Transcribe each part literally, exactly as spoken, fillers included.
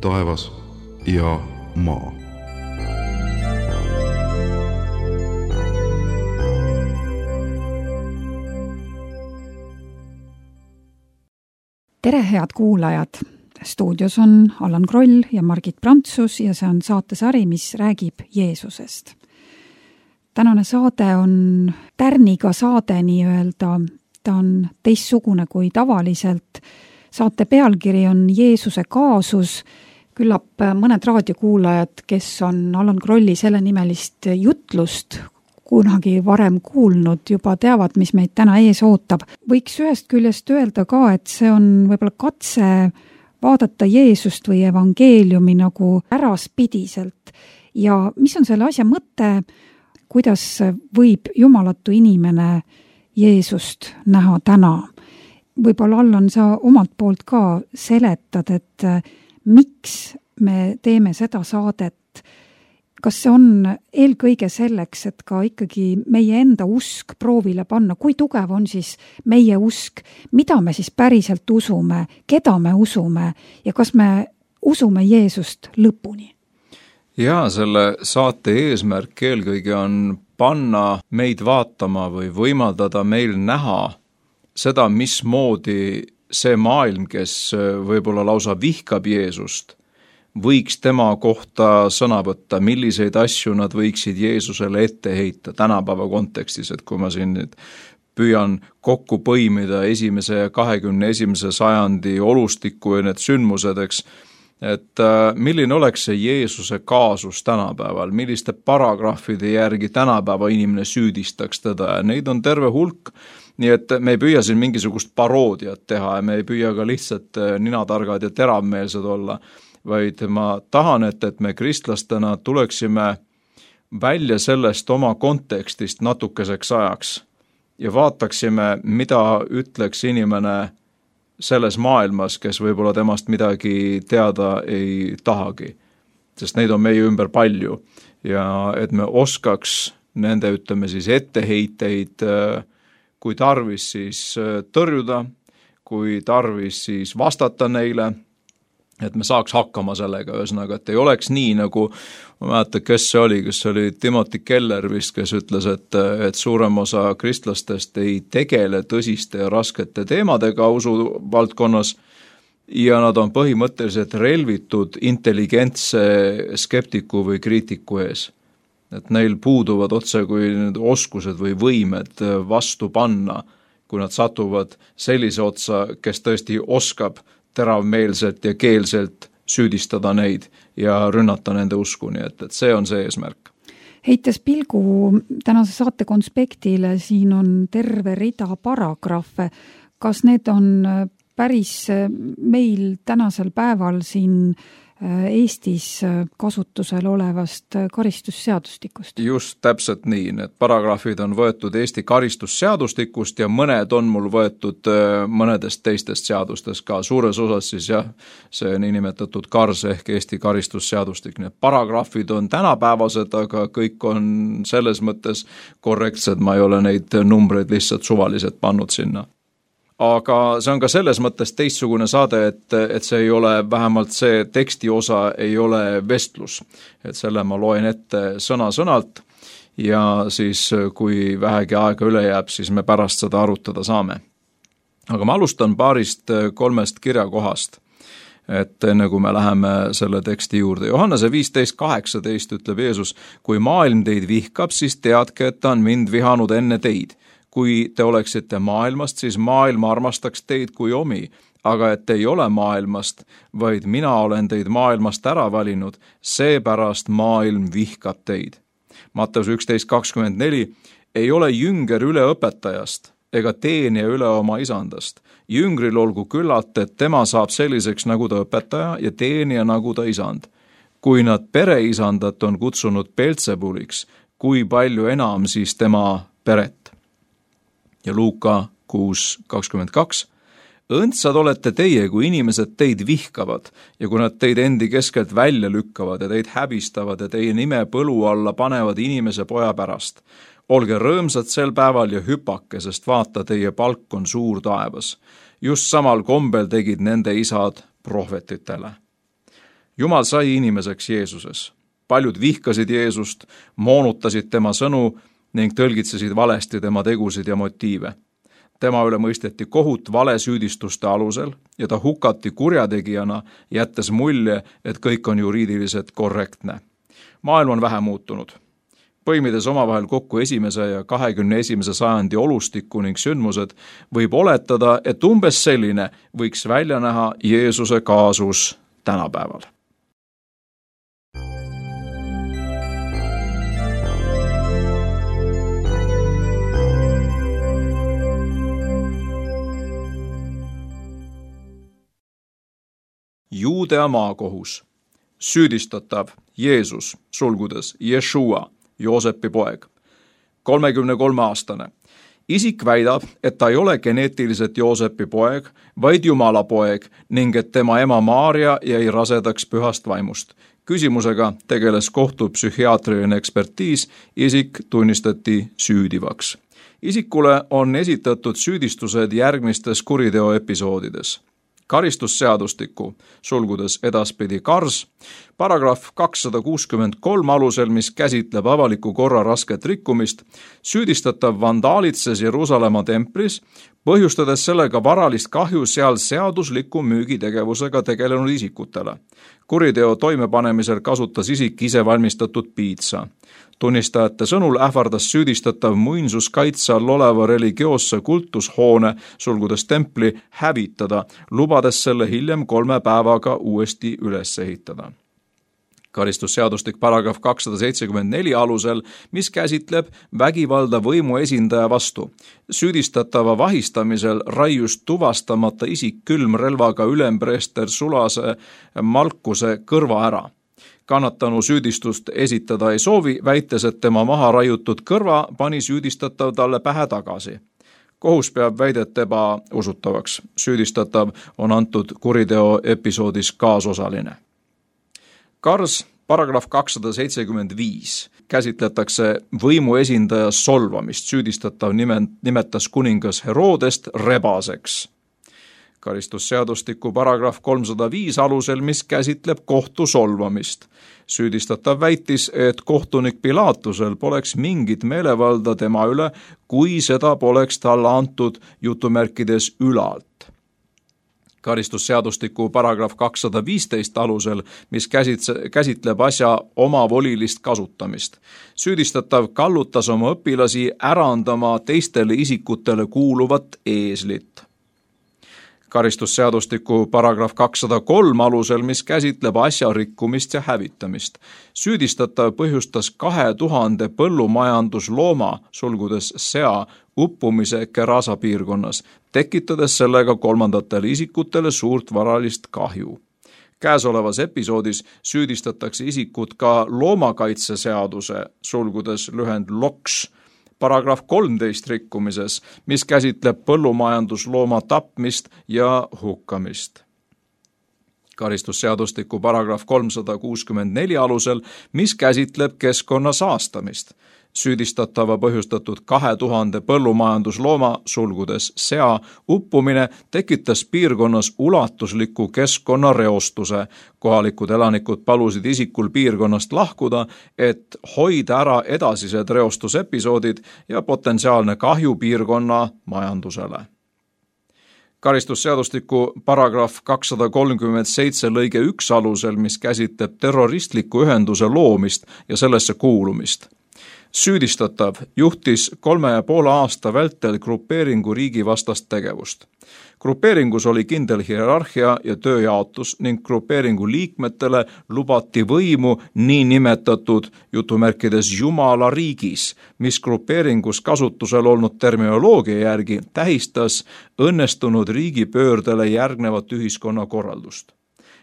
taevas ja maa. Tere, head kuulajad! Stuudios on Allan Kroll ja Margit Prantsus ja see on saatesari, mis räägib Jeesusest. Tänane saade on tärniga saade nii-öelda. Ta on teistsugune kui tavaliselt. Saate pealkiri on Jeesuse kaasus. Küllap mõned raadiokuulajad, kes on Allan Krolli selle nimelist jutlust kunagi varem kuulnud, juba teavad, mis meid täna ees ootab. Võiks ühest küljest öelda ka, et see on võib-olla katse vaadata Jeesust või evangeeliumi nagu äraspidiselt. Ja mis on selle asja mõte, kuidas võib jumalatu inimene Jeesust näha täna? Võib-olla Allan, sa omalt poolt ka seletad, et miks me teeme seda saadet. Kas see on eelkõige selleks, et ka ikkagi meie enda usk proovile panna? Kui tugev on siis meie usk? Mida me siis päriselt usume? Keda me usume? Ja kas me usume Jeesust lõpuni? Ja selle saate eesmärk eelkõige on panna meid vaatama või võimaldada meil näha seda, mismoodi see maailm, kes võib-olla lausa vihkab Jeesust, võiks tema kohta sõna võtta, milliseid asju nad võiksid Jeesusele ette heita tänapäeva kontekstis, et kui ma siin nüüd püüan kokku põimida esimese ja kahekümne esimese sajandi olustikku ja need sündmused, eks, et milline oleks see Jeesuse kaasus tänapäeval, milliste paragrahvide järgi tänapäeva inimene süüdistaks teda ja neid on terve hulk, nii et me ei püüa siin mingisugust paroodiat teha ja me ei püüa ka lihtsalt ninatargad ja teravmeelsed olla, vaid ma tahan, et, et me kristlastena tuleksime välja sellest oma kontekstist natukeseks ajaks ja vaataksime, mida ütleks inimene selles maailmas, kes võib-olla temast midagi teada ei tahagi, sest neid on meie ümber palju ja et me oskaks nende, ütleme siis, etteheiteid, kui tarvis siis tõrjuda, kui tarvis siis vastata neile, et me saaks hakkama sellega, ühesõnaga, et ei oleks nii, nagu ma mäletan, kes see oli, kes oli Timothy Keller vist, kes ütles, et, et suurem osa kristlastest ei tegele tõsiste ja raskete teemadega usu valdkonnas ja nad on põhimõtteliselt relvitud intelligentse skeptiku või kriitiku ees. Et neil puuduvad otse kui oskused või võimed vastu panna, kui nad satuvad sellise otsa, kes tõesti oskab teravmeelselt ja keelselt süüdistada neid ja rünnata nende uskuni, et, et see on see eesmärk. Heites pilgu tänase saate konspektile, siin on terve rida paragrahve. Kas need on päris meil tänasel päeval siin Eestis kasutusel olevast karistusseadustikust? Just täpselt nii, need paragrahvid on võetud Eesti karistusseadustikust ja mõned on mul võetud mõnedest teistest seadustest ka, suures osas siis jah, see niinimetatud KARS ehk Eesti karistusseadustik. Need paragrahvid on tänapäevased, aga kõik on selles mõttes korrektsed, ma ei ole neid numbreid lihtsalt suvaliselt pannud sinna. Aga see on ka selles mõttes teistsugune saade, et, et see ei ole, vähemalt see teksti osa ei ole vestlus. Et selle ma loen ette sõna-sõnalt ja siis kui vähegi aega üle jääb, siis me pärast seda arutada saame. Aga ma alustan paarist kolmest kirjakohast, et enne kui me läheme selle teksti juurde. Johannese viisteist kaheksateist ütleb Jeesus, kui maailm teid vihkab, siis teadke, et ta on mind vihanud enne teid. Kui te oleksite maailmast, siis maailm armastaks teid kui omi, aga et te ei ole maailmast, vaid mina olen teid maailmast ära valinud, seepärast maailm vihkab teid. Matteus üksteist kakskümmend neli, ei ole jünger üle õpetajast ega teenija üle oma isandast. Jüngril olgu küllalt, et tema saab selliseks nagu ta õpetaja ja teenija nagu ta isand. Kui nad pereisandat on kutsunud Beltsebuliks, kui palju enam siis tema peret? Ja Luuka kuus kakskümmend kaks. Õndsad olete teie, kui inimesed teid vihkavad ja kui nad teid endi keskelt välja lükkavad ja teid häbistavad ja teie nime põlu alla panevad inimese poja pärast. Olge rõõmsad sel päeval ja hüpake, sest vaata, teie palk on suur taevas. Just samal kombel tegid nende isad prohvetitele. Jumal sai inimeseks Jeesuses. Paljud vihkasid Jeesust, moonutasid tema sõnu ning tõlgitsesid valesti tema tegusid ja motiive. Tema üle mõisteti kohut valesüüdistuste alusel ja ta hukati kurjategijana, jättes mulje, et kõik on juriidiliselt korrektne. Maailm on vähe muutunud. Põimides omavahel kokku esimese ja kahekümne esimese sajandi olustikku ning sündmused, võib oletada, et umbes selline võiks välja näha Jeesuse kaasus tänapäeval. Juudea maakohus. Süüdistatav Jeesus, sulgudes Jeshua, Joosepi poeg, kolmekümne kolme aastane. Isik väidab, et ta ei ole geneetiliselt Joosepi poeg, vaid Jumala poeg ning et tema ema Maaria jäi rasedaks pühast vaimust. Küsimusega tegeles kohtupsühhiaatriline ekspertiis, isik tunnistati süüdivaks. Isikule on esitatud süüdistused järgmistes kuriteoepisoodides. Karistusseadustiku, sulgudes edaspidi Kars, paragrahv kakssada kuuskümmend kolm alusel, mis käsitleb avaliku korra rasket rikkumist, süüdistatav vandaalitses Jeruusalemma templis, põhjustades sellega varalist kahju seal seadusliku müügitegevusega tegelenud isikutele. Kuriteo toimepanemisel kasutas isik ise valmistatud piitsa. Tunnistajate sõnul ähvardas süüdistatav muinsuskaitse all oleva religioosse kultushoone, sulgudes templi, hävitada, lubades selle hiljem kolme päevaga uuesti üles ehitada. Karistusseadustik paragrahv kakssada seitsekümmend neli alusel, mis käsitleb vägivalda võimu esindaja vastu. Süüdistatava vahistamisel raius tuvastamata isik külmrelvaga ülempreester Sulase Malkuse kõrva ära. Kannatanu süüdistust esitada ei soovi, väites, et tema maha raiutud kõrva pani süüdistatav talle pähe tagasi. Kohus peab väidet ebausutavaks. Süüdistatav on antud kuriteo episoodis kaasosaline. Kars, paragrahv kakssada seitsekümmend viis, käsitletakse võimu esindaja solvamist. Süüdistatav nimetas kuningas Herodest rebaseks. Karistusseadustiku paragrahv kolmsada viis alusel, mis käsitleb kohtu solvamist. Süüdistatav väitis, et kohtunik Pilatusel poleks mingit meelevalda tema üle, kui seda poleks talle antud jutumärkides ülalt. Karistusseadustiku paragrahv kakssada viisteist alusel, mis käsitleb asja omavolilist kasutamist. Süüdistatav kallutas oma õpilasi ärandama teistele isikutele kuuluvat eeslit. Karistusseadustiku paragrahv kakssada kolm alusel, mis käsitleb asja rikkumist ja hävitamist. Süüdistatav põhjustas kahe tuhande põllumajanduslooma, sulgudes sea, uppumise Kerasa piirkonnas, tekitades sellega kolmandatele isikutele suurt varalist kahju. Käesolevas episoodis süüdistatakse isikut ka loomakaitseseaduse, sulgudes lühend loks, paragrahv kolmteist rikkumises, mis käsitleb põllumajanduslooma tapmist ja hukkamist. Karistusseadustiku paragrahv kolmsada kuuskümmend neli alusel, mis käsitleb keskkonna saastamist. Süüdistatava põhjustatud kahe tuhande põllumajanduslooma, sulgudes sea, uppumine tekitas piirkonnas ulatusliku keskkonnareostuse. Kohalikud elanikud palusid isikul piirkonnast lahkuda, et hoida ära edasised reostusepisoodid ja potentsiaalne kahju piirkonna majandusele. Karistusseadustiku paragrahv kakssada kolmkümmend seitse lõige üks alusel, mis käsitleb terroristliku ühenduse loomist ja sellesse kuulumist. Süüdistatav juhtis kolme ja poole aasta vältel grupeeringu riigi vastast tegevust. Grupeeringus oli kindel hierarhia ja tööjaotus ning grupeeringu liikmetele lubati võimu nii nimetatud jutumärkides Jumala riigis, mis grupeeringus kasutusel olnud terminoloogia järgi tähistas õnnestunud riigipöördele järgnevat ühiskonnakorraldust.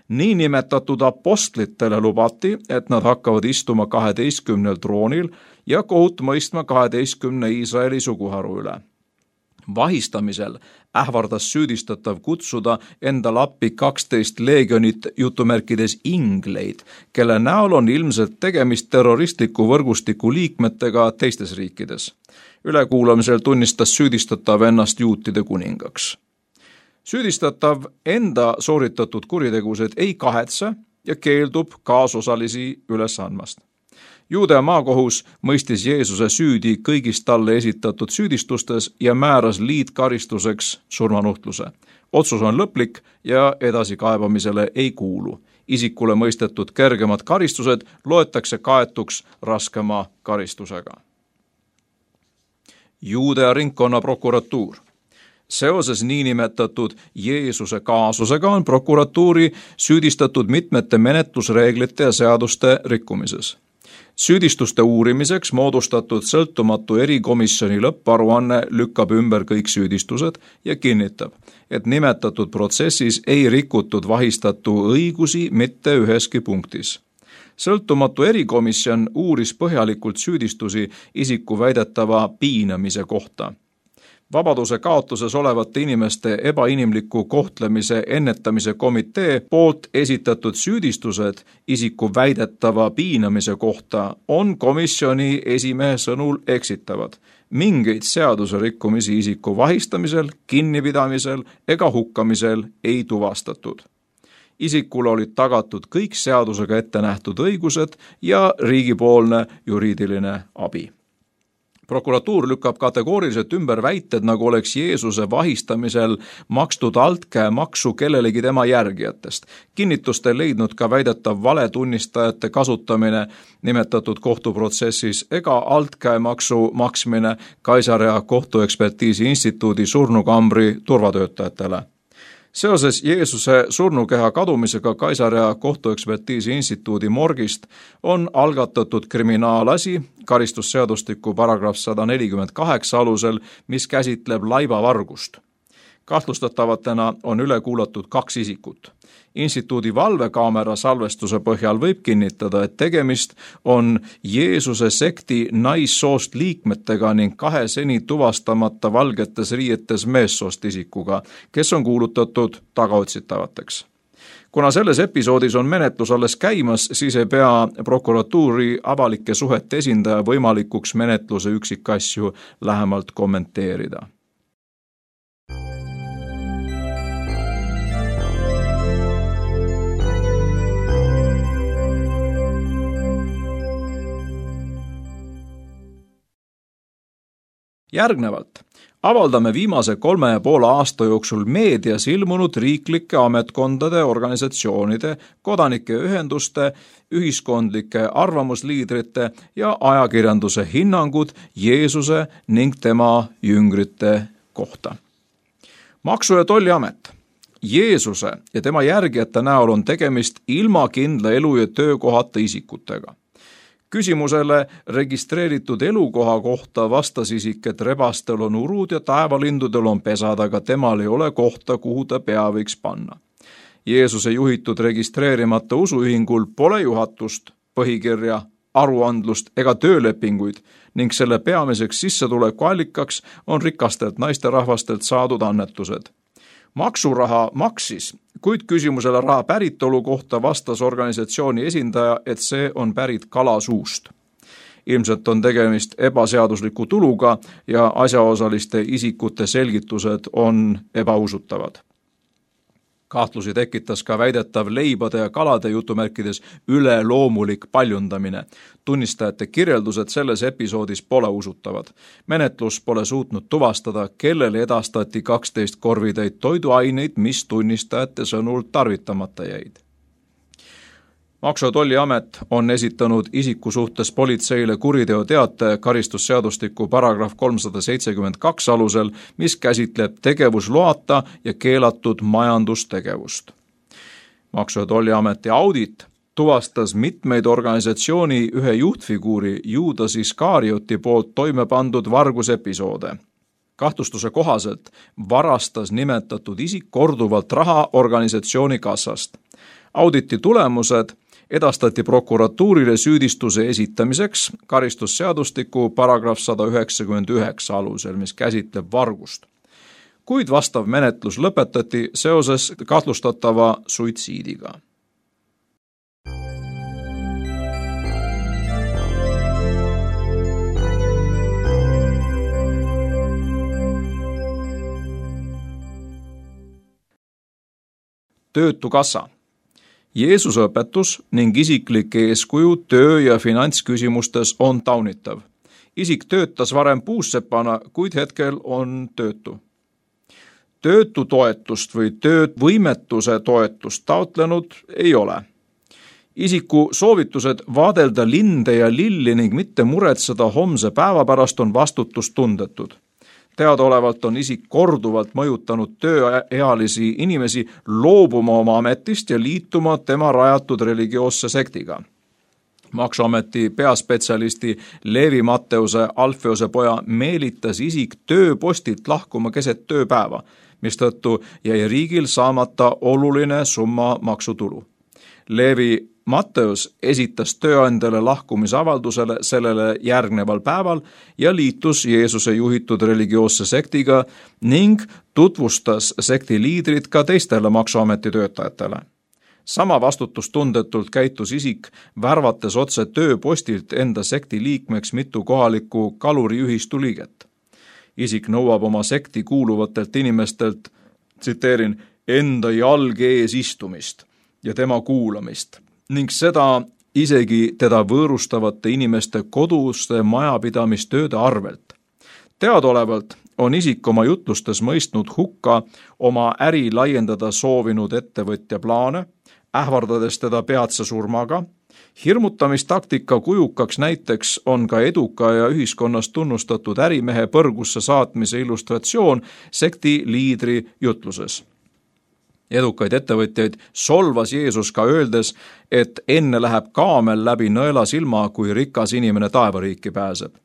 Nii nimetatud apostlitele lubati, et nad hakkavad istuma kaheteistkümnel troonil ja kohut mõistma kaheteistkümne Iisraeli suguharu üle. Vahistamisel ähvardas süüdistatav kutsuda endale appi kaksteist leegionit jutumärkides ingleid, kelle näol on ilmselt tegemist terroristliku võrgustiku liikmetega teistes riikides. Ülekuulamisel tunnistas süüdistatav ennast juutide kuningaks. Süüdistatav enda sooritatud kuritegused ei kahetse ja keeldub kaasosalisi üles andmast. Juudea maakohus mõistis Jeesuse süüdi kõigist talle esitatud süüdistustes ja määras liitkaristuseks surmanuhtluse. Otsus on lõplik ja edasikaebamisele ei kuulu. Isikule mõistetud kergemad karistused loetakse kaetuks raskema karistusega. Juudea ringkonna prokuratuur. Seoses niinimetatud Jeesuse kaasusega on prokuratuuri süüdistatud mitmete menetlusreeglite ja seaduste rikkumises. Süüdistuste uurimiseks moodustatud sõltumatu erikomisjoni lõpparuanne lükkab ümber kõik süüdistused ja kinnitab, et nimetatud protsessis ei rikutud vahistatu õigusi mitte üheski punktis. Sõltumatu erikomisjon uuris põhjalikult süüdistusi isiku väidetava piinamise kohta. Vabaduse kaotuses olevate inimeste ebainimliku kohtlemise ennetamise komitee poolt esitatud süüdistused isiku väidetava piinamise kohta on komisjoni esimehe sõnul eksitavad. Mingeid seaduse rikkumisi isiku vahistamisel, kinnipidamisel ega hukkamisel ei tuvastatud. Isikule olid tagatud kõik seadusega ette nähtud õigused ja riigipoolne juriidiline abi. Prokuratuur lükkab kategooriliselt ümber väited, nagu oleks Jeesuse vahistamisel makstud altkäemaksu kellelegi tema järgijatest. Kinnitust ei leidnud ka väidetav valetunnistajate kasutamine nimetatud kohtuprotsessis ega altkäemaksu maksmine Kaisarea kohtuekspertiisi instituudi surnukambri turvatöötajatele. Seoses Jeesuse surnukeha kadumisega Kaisarea kohtuekspertiisi instituudi morgist on algatatud kriminaalasi karistusseadustiku paragrahv sada nelikümmend kaheksa alusel, mis käsitleb laibavargust. Kahtlustatavatena on üle kuulatud kaks isikut. Instituudi valvekaamera salvestuse põhjal võib kinnitada, et tegemist on Jeesuse sekti naissoost liikmetega ning kahe seni tuvastamata valgetes riietes meessoost isikuga, kes on kuulutatud tagaotsitavateks. Kuna selles episoodis on menetlus alles käimas, siis ei pea prokuratuuri avalike suhete esindaja võimalikuks menetluse üksikasju lähemalt kommenteerida. Järgnevalt avaldame viimase kolme ja poole aasta jooksul meedias ilmunud riiklike ametkondade, organisatsioonide, kodanike ühenduste, ühiskondlike arvamusliidrite ja ajakirjanduse hinnangud Jeesuse ning tema jüngrite kohta. Maksu- ja Tolliamet. Jeesuse ja tema järgijate näol on tegemist ilma kindla elu- ja töökohata isikutega. Küsimusele registreeritud elukoha kohta vastas isik, et rebastel on urud ja taevalindudel on pesad, aga temal ei ole kohta, kuhu ta pea võiks panna. Jeesuse juhitud registreerimata usuühingul pole juhatust, põhikirja, aruandlust ega töölepinguid ning selle peamiseks sissetulekuallikaks on rikastelt naisterahvastelt saadud annetused. Maksuraha maksis, kuid küsimusele raha päritolu kohta vastas organisatsiooni esindaja, et see on pärit kalasuust. Ilmselt on tegemist ebaseadusliku tuluga ja asjaosaliste isikute selgitused on ebausutavad. Kahtlusi tekitas ka väidetav leibade ja kalade jutumärkides üleloomulik paljundamine. Tunnistajate kirjeldused selles episoodis pole usutavad. Menetlus pole suutnud tuvastada, kellele edastati kaksteist korvitäit toiduaineid, mis tunnistajate sõnul tarvitamata jäid. Maksu- ja Tolliamet on esitanud isiku suhtes politseile kuriteoteate karistusseadustiku paragrahv kolmsada seitsekümmend kaks alusel, mis käsitleb tegevusloata ja keelatud majandustegevust. Maksu- ja Tolliameti audit tuvastas mitmeid organisatsiooni ühe juhtfiguuri Juudas Iskarioti poolt toime pandud vargusepisoode. Kahtlustuse kohaselt varastas nimetatud isik korduvalt raha organisatsiooni kassast. Auditi tulemused edastati prokuratuurile süüdistuse esitamiseks karistusseadustiku paragrahv sada üheksakümmend üheksa alusel, mis käsitleb vargust. Kuid vastav menetlus lõpetati seoses kahtlustatava suitsiidiga. Töötukassa. Jeesuse õpetus ning isiklik eeskuju töö- ja finantsküsimustes on taunitav. Isik töötas varem puussepana, kuid hetkel on töötu. Töötutoetust või töövõimetuse toetust taotlenud ei ole. Isiku soovitused vaadelda linde ja lilli ning mitte muretseda homse päeva pärast on vastutustundetud. Teadaolevalt on isik korduvalt mõjutanud tööealisi inimesi loobuma oma ametist ja liituma tema rajatud religioosse sektiga. Maksuameti peaspetsialisti Leevi Matteuse Alfeose poja meelitas isik tööpostilt lahkuma keset tööpäeva, mistõttu jäi riigil saamata oluline summa maksutulu. Leevi Matteus esitas tööandjale lahkumisavaldusele sellele järgneval päeval ja liitus Jeesuse juhitud religioosse sektiga ning tutvustas sekti liidrit ka teistele maksuameti töötajatele. Sama vastutustundetult käitus isik, värvates otse tööpostilt enda sekti liikmeks mitu kohalikku kaluriühistu liiget. Isik nõuab oma sekti kuuluvatelt inimestelt, tsiteerin, enda jalge ees istumist ja tema kuulamist ning seda isegi teda võõrustavate inimeste koduste majapidamistööde arvelt. Teadaolevalt on isik oma jutlustes mõistnud hukka oma äri laiendada soovinud ettevõtja plaane, ähvardades teda peatse surmaga. Hirmutamistaktika kujukaks näiteks on ka eduka ja ühiskonnas tunnustatud ärimehe põrgusse saatmise illustratsioon sekti liidri jutluses. Edukaid ettevõtjaid solvas Jeesus ka öeldes, et enne läheb kaamel läbi nõela silma, kui rikas inimene taevariiki pääseb.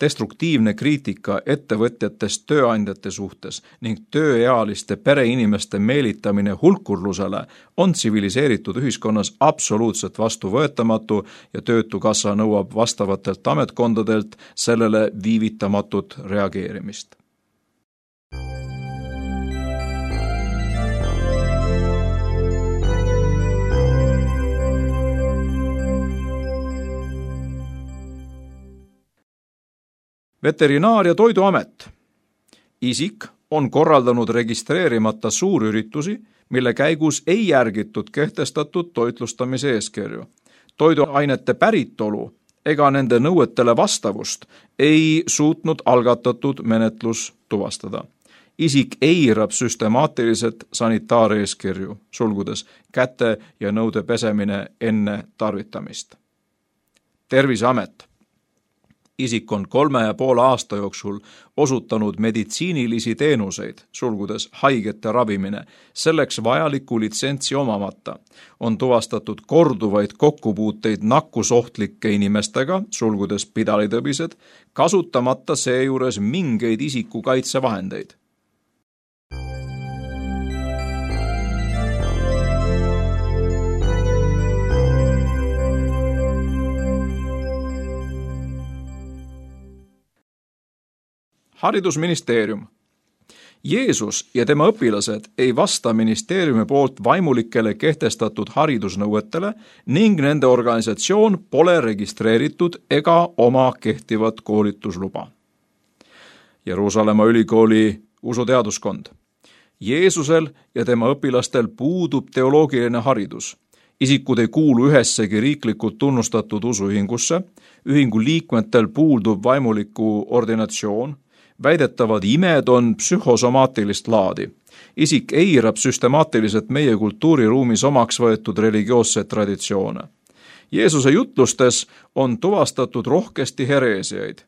Destruktiivne kriitika ettevõtjatest tööandjate suhtes ning tööealiste pereinimeste meelitamine hulkurlusele on tsiviliseeritud ühiskonnas absoluutselt vastuvõetamatu ja Töötukassa nõuab vastavatelt ametkondadelt sellele viivitamatut reageerimist. Veterinaar- ja Toiduamet. Isik on korraldanud registreerimata suurüritusi, mille käigus ei järgitud kehtestatud toitlustamise eeskirju. Toiduainete päritolu ega nende nõuetele vastavust ei suutnud algatatud menetlus tuvastada. Isik eirab süstemaatiliselt sanitaareeskirju, sulgudes käte ja nõude pesemine enne tarvitamist. Terviseamet. Isik on kolme ja poole aasta jooksul osutanud meditsiinilisi teenuseid, sulgudes haigete ravimine, selleks vajaliku litsentsi omamata. On tuvastatud korduvaid kokkupuuteid nakkusohtlike inimestega, sulgudes pidalitõbised, kasutamata seejuures mingeid isikukaitsevahendeid. Haridusministeerium. Jeesus ja tema õpilased ei vasta ministeeriumi poolt vaimulikele kehtestatud haridusnõuetele ning nende organisatsioon pole registreeritud ega oma kehtivat koolitusluba. Jeruusalemma ülikooli usuteaduskond. Jeesusel ja tema õpilastel puudub teoloogiline haridus. Isikud ei kuulu ühessegi riiklikult tunnustatud usuühingusse, ühingu liikmetel puudub vaimuliku ordinatsioon, väidetavad imed on psühhosomaatilist laadi. Isik eirab süstemaatiliselt meie kultuuriruumis omaks võetud religioosseid traditsioone. Jeesuse jutlustes on tuvastatud rohkesti hereesiaid.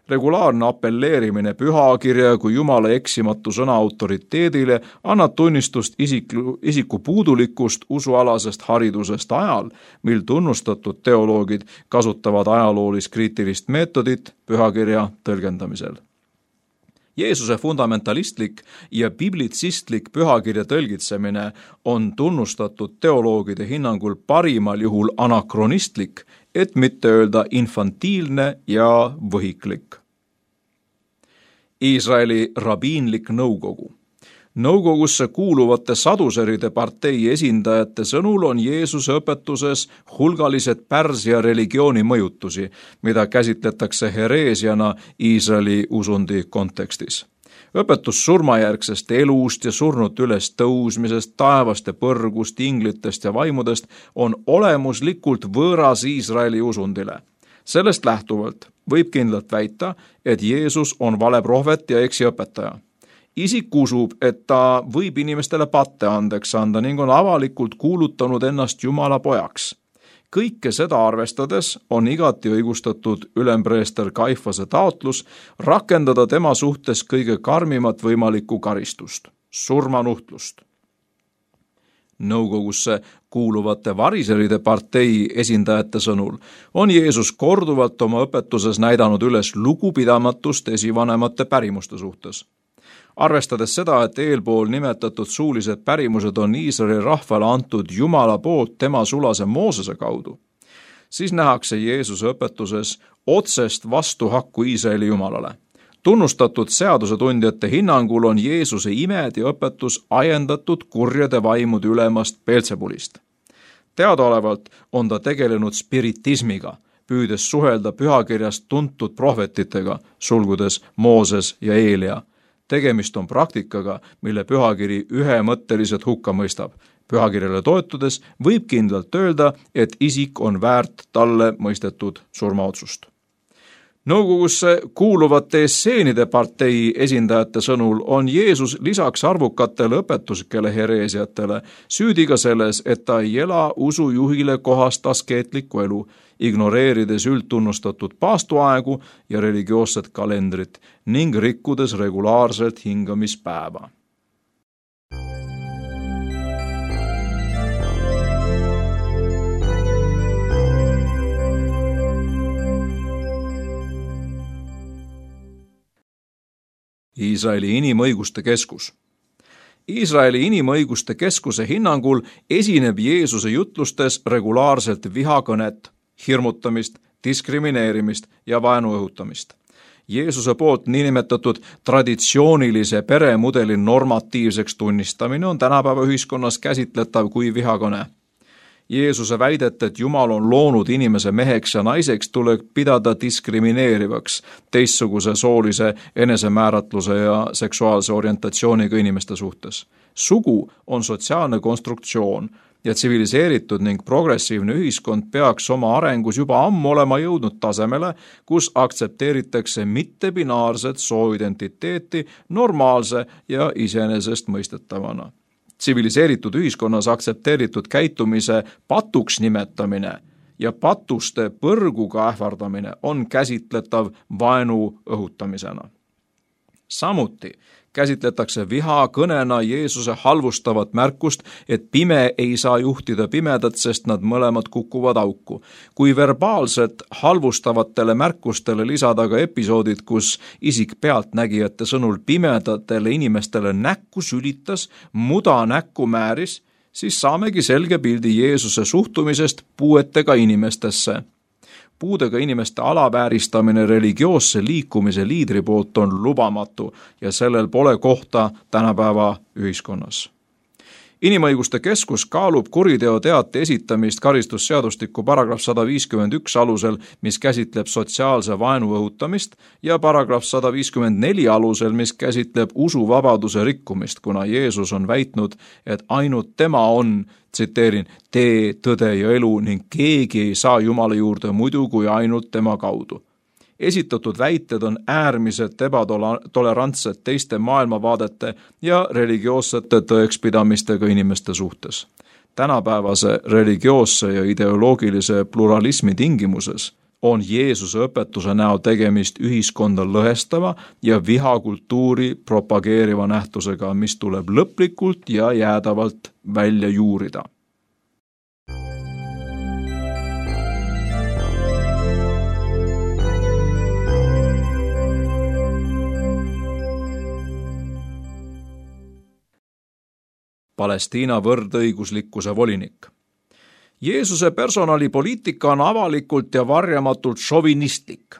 Regulaarne apelleerimine pühakirja kui Jumala eksimatu sõna autoriteedile annab tunnistust isiku, isiku puudulikust usualasest haridusest ajal, mil tunnustatud teoloogid kasutavad ajaloolis kriitilist meetodit pühakirja tõlgendamisel. Jeesuse fundamentalistlik ja biblitsistlik pühakirja tõlgitsemine on tunnustatud teoloogide hinnangul parimal juhul anakronistlik, et mitte öelda infantiilne ja võhiklik. Iisraeli rabiinlik nõukogu. Nõukogusse kuuluvate saduseride partei esindajate sõnul on Jeesuse õpetuses hulgalised Pärsia religiooni mõjutusi, mida käsitletakse hereesiana Iisraeli usundi kontekstis. õpetus surmajärgsest elust ja surnute üles tõusmisest, taevast ja põrgust, inglitest ja vaimudest on olemuslikult võõras Iisraeli usundile. Sellest lähtuvalt võib kindlalt väita, et Jeesus on valeprohvet ja eksiõpetaja. Isik usub, et ta võib inimestele patte andeks anda ning on avalikult kuulutanud ennast Jumala pojaks. Kõike seda arvestades on igati õigustatud ülempreester Kaifase taotlus rakendada tema suhtes kõige karmimat võimalikku karistust, surmanuhtlust. Nõukogusse kuuluvate variseride partei esindajate sõnul on Jeesus korduvalt oma õpetuses näidanud üles lugupidamatust esivanemate pärimuste suhtes. Arvestades seda, et eelpool nimetatud suulised pärimused on Iisraeli rahvale antud Jumala poolt tema sulase Moosese kaudu, siis nähakse Jeesuse õpetuses otsest vastuhakku Iisraeli Jumalale. Tunnustatud seadusetundjate hinnangul on Jeesuse imed ja õpetus ajendatud kurjade vaimude ülemast Beelzebulist. Teadaolevalt on ta tegelenud spiritismiga, püüdes suhelda pühakirjast tuntud prohvetitega, sulgudes Mooses ja Eelia. Tegemist on praktikaga, mille pühakiri ühemõtteliselt hukka mõistab. Pühakirjale toetudes võib kindlalt öelda, et isik on väärt talle mõistetud surmaotsust. Nõukogusse kuuluvate esseenide partei esindajate sõnul on Jeesus lisaks arvukatele õpetuskele hereesiatele süüdi ka selles, et ta ei ela usujuhile kohast askeetlikku elu, ignoreerides üldtunnustatud paastuaegu ja religioosset kalendrit ning rikkudes regulaarselt hingamispäeva. Iisraeli Inimõiguste Keskus. Iisraeli Inimõiguste Keskuse hinnangul esineb Jeesuse jutlustes regulaarselt vihakõnet, hirmutamist, diskrimineerimist ja vaenu õhutamist. Jeesuse poolt niinimetatud traditsioonilise peremudeli normatiivseks tunnistamine on tänapäeva ühiskonnas käsitletav kui vihakõne. Jeesuse väidet, et Jumal on loonud inimese meheks ja naiseks, tuleb pidada diskrimineerivaks teistsuguse soolise enesemääratluse ja seksuaalse orientatsiooniga inimeste suhtes. Sugu on sotsiaalne konstruktsioon ja tsiviliseeritud ning progressiivne ühiskond peaks oma arengus juba ammu olema jõudnud tasemele, kus aktsepteeritakse mittebinaarset sooidentiteeti normaalse ja iseenesestmõistetavana. Tsiviliseeritud ühiskonnas aktsepteeritud käitumise patuks nimetamine ja patuste põrguga ähvardamine on käsitletav vaenu õhutamisena. Samuti käsitletakse vihakõnena Jeesuse halvustavat märkust, et pime ei saa juhtida pimedat, sest nad mõlemad kukuvad auku. Kui verbaalselt halvustavatele märkustele lisada ka episoodid, kus isik pealtnägijate sõnul pimedatele inimestele näkku sülitas, muda näkku määris, siis saamegi selge pildi Jeesuse suhtumisest puuetega inimestesse. Puudega inimeste alavääristamine religioosse liikumise liidri poolt on lubamatu ja sellel pole kohta tänapäeva ühiskonnas. Inimõiguste Keskus kaalub kuriteoteate esitamist karistusseadustiku paragrahv sada viiskümmend üks alusel, mis käsitleb sotsiaalse vaenu õhutamist, ja paragrahv sada viiskümmend neli alusel, mis käsitleb usuvabaduse rikkumist, kuna Jeesus on väitnud, et ainult tema on, tsiteerin, tee, tõde ja elu ning keegi ei saa Jumala juurde muidu kui ainult tema kaudu. Esitatud väited on äärmiselt ebatolerantsed teiste maailmavaadete ja religioossete tõekspidamistega inimeste suhtes. Tänapäevase religioosse ja ideoloogilise pluralismi tingimuses on Jeesuse õpetuse näol tegemist ühiskonda lõhestava ja vihakultuuri propageeriva nähtusega, mis tuleb lõplikult ja jäädavalt välja juurida. Palestiina võrdõiguslikkuse volinik. Jeesuse personalipoliitika on avalikult ja varjamatult šovinistlik.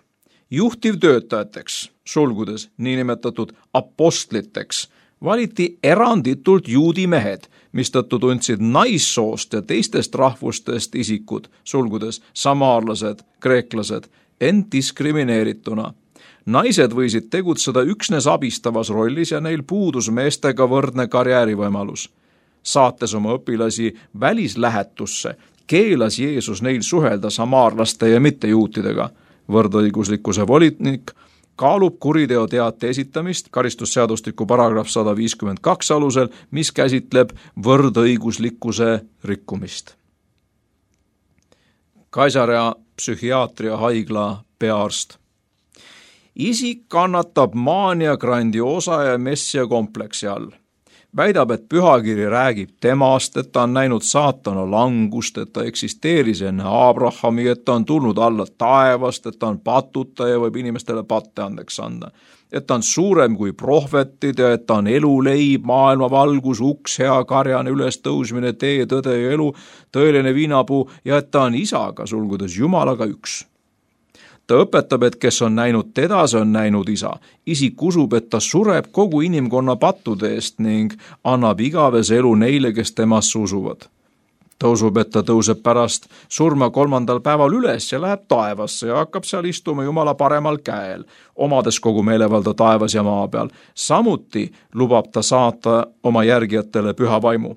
Juhtivtöötajateks, sulgudes niinimetatud apostliteks, valiti eranditult juudi mehed, mistõttu tundsid naissoost ja teistest rahvustest isikud, sulgudes samaarlased, kreeklased, end diskrimineerituna. naised võisid tegutseda üksnes abistavas rollis ja neil puudus meestega võrdne karjäärivõimalus. Saates oma õpilasi välislähetusse, keelas Jeesus neil suhelda samaarlaste ja mittejuutidega. Võrdõiguslikkuse volinik kaalub kuriteoteate esitamist karistusseadustiku paragrahv sada viiskümmend kaks alusel, mis käsitleb võrdõiguslikkuse rikkumist. Kaisarea psühhiaatria haigla peaarst. Isik kannatab maania grandiosa ja messia kompleksi all. Väidab, et pühakiri räägib temast, et ta on näinud saatana langust, et ta eksisteeris enne Abrahami, et ta on tulnud alla taevast, et ta on patuta ja võib inimestele patte andeks anda. Et ta on suurem kui prohvetid ja et ta on eluleib, maailma valgus, uks, hea karjane, ülestõusmine, tee, tõde ja elu, tõeline viinapuu ja et ta on isaga, sulgudes Jumalaga üks. Ta õpetab, et kes on näinud teda, see on näinud isa. Isik usub, et ta sureb kogu inimkonna pattude eest ning annab igavese elu neile, kes temasse usuvad. Ta usub, et ta tõuseb pärast surma kolmandal päeval üles ja läheb taevasse ja hakkab seal istuma Jumala paremal käel, omades kogu meelevalda taevas ja maa peal. Samuti lubab ta saata oma järgijatele püha vaimu.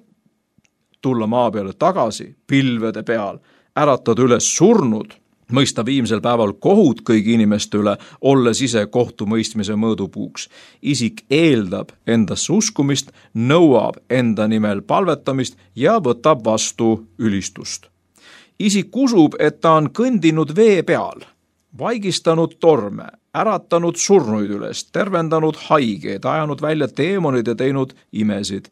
Tulla maa peale tagasi, pilvede peal, äratada üles surnud, mõista viimsel päeval kohut kõigi inimeste üle, olles ise kohtumõistmise mõõdupuuks. Isik eeldab endasse uskumist, nõuab enda nimel palvetamist ja võtab vastu ülistust. Isik usub, et ta on kõndinud vee peal, vaigistanud torme, äratanud surnuid üles, tervendanud haigeid, ajanud välja teemonid ja teinud imesid.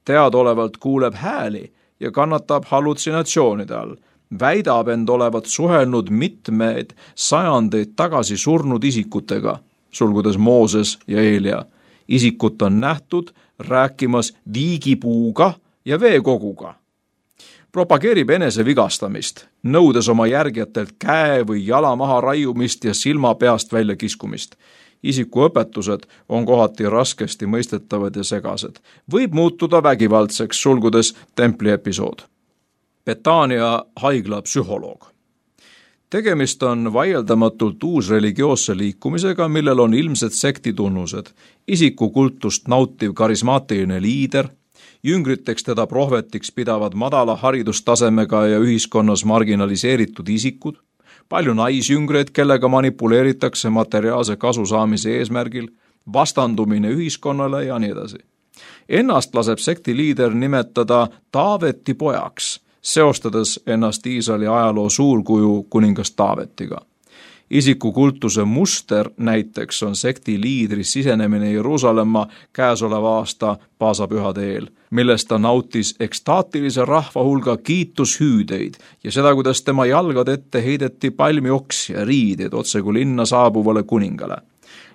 Teadolevalt kuuleb hääli ja kannatab hallutsinatsioonide all. Väidab end olevat suhelnud mitmeid sajandeid tagasi surnud isikutega, sulgudes Mooses ja Eelia. Isikut on nähtud rääkimas viigipuuga ja veekoguga. Propageerib enese vigastamist, nõudes oma järgijatelt käe või jala maha raiumist ja silma peast välja kiskumist. Isiku õpetused on kohati raskesti mõistetavad ja segased. Võib muutuda vägivaldseks, sulgudes templi episood. Betania haigla psühholoog. Tegemist on vaieldamatult uus religioosse liikumisega, millel on ilmsed sektitunnused. Isiku kultust nautiv karismaatiline liider, jüngriteks teda prohvetiks pidavad madala haridustasemega ja ühiskonnas marginaliseeritud isikud, palju naisjüngreid, kellega manipuleeritakse materiaalse kasu saamise eesmärgil, vastandumine ühiskonnale ja nii edasi. Ennast laseb sekti liider nimetada Taaveti pojaks, seostades ennast Iisraeli ajaloo suurkuju kuningas Taavetiga. Isiku kultuse muster näiteks on sekti liidri sisenemine Jeruusalemma käesoleva aasta paasapühade eel, millest ta nautis ekstaatilise rahva hulga kiitushüüdeid ja seda, kuidas tema jalgade ette heideti palmioksi ja riideid otse kui linna saabuvale kuningale.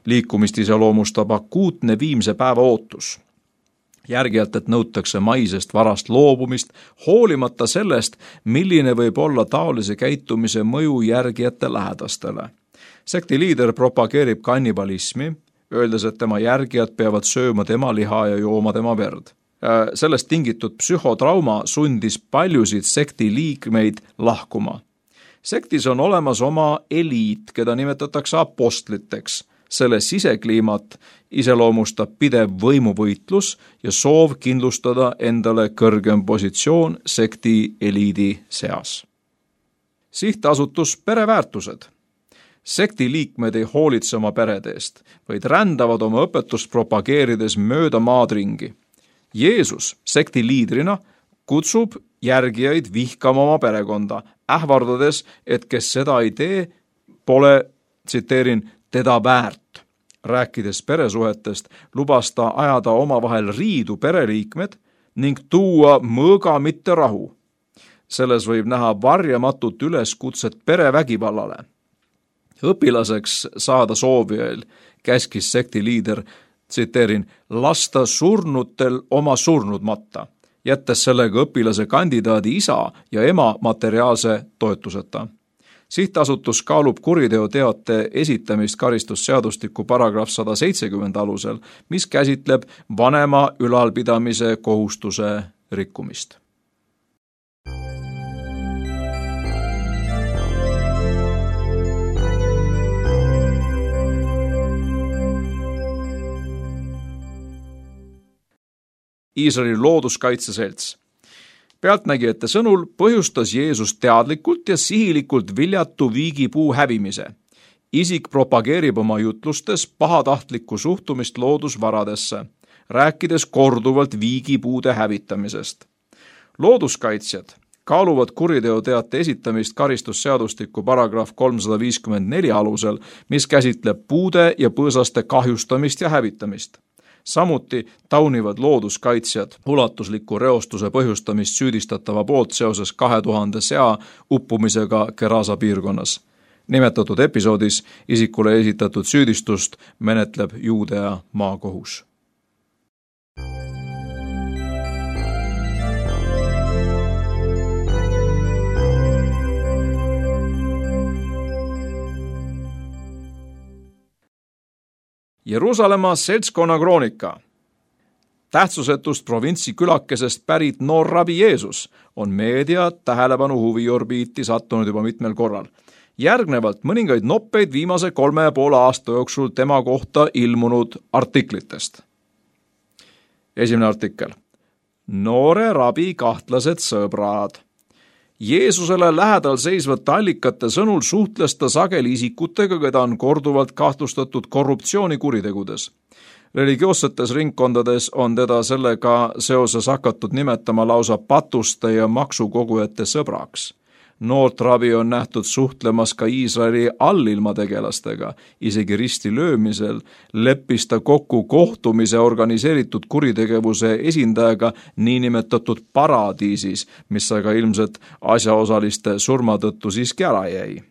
Liikumist iseloomustab akuutne viimse päeva ootus. Järgijalt, et nõutakse maisest varast loobumist, hoolimata sellest, milline võib olla taolise käitumise mõju järgijate lähedastele. Sekti liider propageerib kannibalismi, öeldes, et tema järgijad peavad sööma tema liha ja jooma tema verd. Sellest tingitud psühhotrauma sundis paljusid sekti liikmeid lahkuma. Sektis on olemas oma eliit, keda nimetatakse apostliteks. Selle sisekliimat iseloomustab pidev võimuvõitlus ja soov kindlustada endale kõrgem positsioon sekti eliidi seas. Sihtasutus pereväärtused. Sekti liikmed ei hoolitse oma perede eest, vaid rändavad oma õpetust propageerides mööda maad ringi. Jeesus sekti liidrina kutsub järgijaid vihkama oma perekonda, ähvardades, et kes seda ei tee, pole, tsiteerin, teda väärt. Rääkides peresuhetest, lubas ta ajada omavahel riidu pereliikmed ning tuua mõõga mitte rahu. Selles võib näha varjamatut üleskutset perevägivallale. Õpilaseks saada soovijail käskis sekti liider, tsiteerin, lasta surnutel oma surnud matta, jättes sellega õpilase kandidaadi isa ja ema materiaalse toetuseta. Sihtasutus kaalub kuriteoteate esitamist karistusseadustiku paragrahv sada seitsekümmend alusel, mis käsitleb vanema ülalpidamise kohustuse rikkumist. Iisraeli looduskaitseselts. Pealtnägijate sõnul põhjustas Jeesus teadlikult ja sihilikult viljatu viigipuu hävimise. Isik propageerib oma jutlustes pahatahtlikku suhtumist loodusvaradesse, rääkides korduvalt viigipuude hävitamisest. Looduskaitsjad kaaluvad kuriteoteate esitamist karistusseadustiku paragrahv kolmsada viiskümmend neli alusel, mis käsitleb puude ja põõsaste kahjustamist ja hävitamist. Samuti taunivad looduskaitsjad ulatusliku reostuse põhjustamist süüdistatava poolt seoses kahe tuhande sea uppumisega Gerasa piirkonnas. Nimetatud episoodis isikule esitatud süüdistust menetleb Juudea maakohus. Jeruusalemma seltskonna kroonika. Tähtsusetust provintsi külakesest pärit noor rabi Jeesus on meedia tähelepanu huviorbiiti sattunud juba mitmel korral. Järgnevalt mõningaid noppeid viimase kolme ja poole aasta jooksul tema kohta ilmunud artiklitest. Esimene artikkel. Noore rabi kahtlased sõbrad. Jeesusele lähedal seisvate allikate sõnul suhtles ta sageli isikutega, keda on korduvalt kahtlustatud korruptsioonikuritegudes. Religioossetes ringkondades on teda sellega seoses hakatud nimetama lausa patuste ja maksukogujate sõbraks. Noort rabi on nähtud suhtlemas ka Iisraeli allilmategelastega. Isegi risti löömisel leppis ta kokku kohtumise organiseeritud kuritegevuse esindajaga niinimetatud paradiisis, mis aga ilmselt asjaosaliste surma tõttu siiski ära jäi.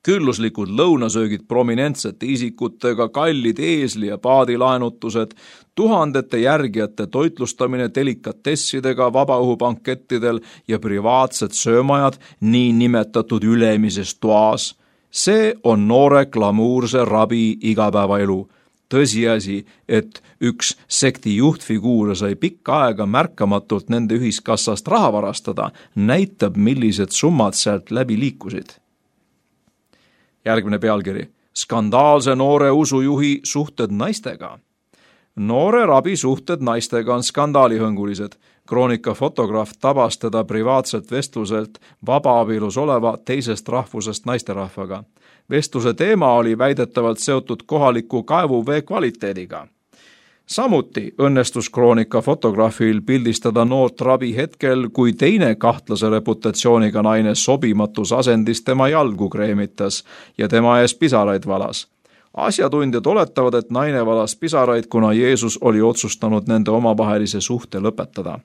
Külluslikud lõunasöögid prominentsete isikutega, kallid eesli- ja paadilaenutused, tuhandete järgijate toitlustamine delikatessidega vabaõhubankettidel ja privaatsed söömajad niinimetatud ülemises toas. See on noore glamuurse rabi igapäevaelu. Tõsiasi, et üks sekti juhtfiguure sai pikka aega märkamatult nende ühiskassast raha varastada, näitab, millised summad sealt läbi liikusid. Järgmine pealkiri. Skandaalse noore usujuhi suhted naistega. Noore rabi suhted naistega on skandaalihõngulised. Kroonika fotograaf tabas teda privaatselt vestluselt vabaabielus oleva teisest rahvusest naisterahvaga. Vestluse teema oli väidetavalt seotud kohaliku kaevuvee kvaliteediga. Samuti õnnestus kroonika fotograafil pildistada noort rabi hetkel, kui teine kahtlase reputatsiooniga naine sobimatus asendis tema jalgu kreemitas ja tema ees pisaraid valas. Asjatundjad oletavad, et naine valas pisaraid, kuna Jeesus oli otsustanud nende omavahelise suhte lõpetada.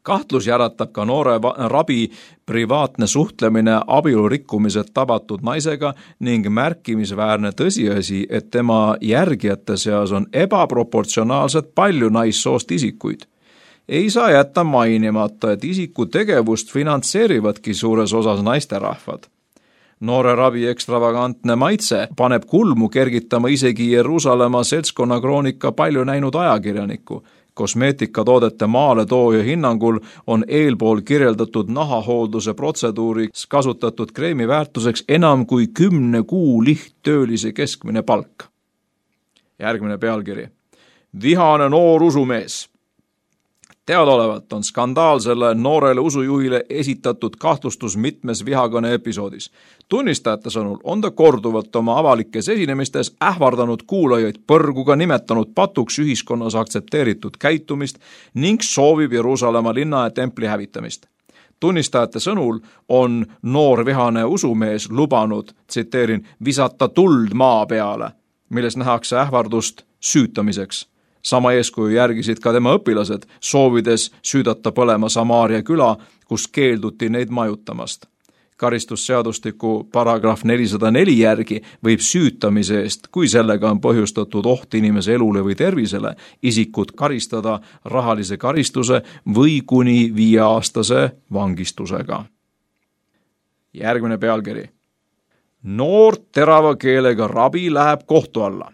Kahtlus järatab ka noore rabi privaatne suhtlemine abielurikkumised tabatud naisega ning märkimisväärne tõsiasi, et tema järgijate seas on ebaproportsionaalselt palju naissoost isikuid. Ei saa jätta mainimata, et isiku tegevust finantseerivadki suures osas naisterahvad. Noore rabi ekstravagantne maitse paneb kulmu kergitama isegi Jeruusalemma seltskonna kroonika palju näinud ajakirjanikku. Kosmeetikatoodete maaletooja hinnangul on eelpool kirjeldatud nahahoolduse protseduuriks kasutatud kreemi väärtuseks enam kui kümne kuu lihttöölise keskmine palk. Järgmine pealkiri. Vihane noor usumees. Teadaolevalt on skandaalsele noorele usujuhile esitatud kahtlustus mitmes vihakõne episoodis. Tunnistajate sõnul on ta korduvalt oma avalikes esinemistes ähvardanud kuulajaid põrguga, nimetanud patuks ühiskonnas aktsepteeritud käitumist ning soovib Jeruusalemma linna ja templi hävitamist. Tunnistajate sõnul on noor vihane usumees lubanud, tsiteerin, visata tuld maa peale, milles nähakse ähvardust süütamiseks. Sama eeskuju järgisid ka tema õpilased, soovides süüdata põlema Samaaria küla, kus keelduti neid majutamast. Karistusseadustiku paragrahv nelisada neli järgi võib süütamise eest, kui sellega on põhjustatud oht inimese elule või tervisele, isikut karistada rahalise karistuse või kuni viieaastase vangistusega. Järgmine pealkiri. Noor terava keelega rabi läheb kohtu alla.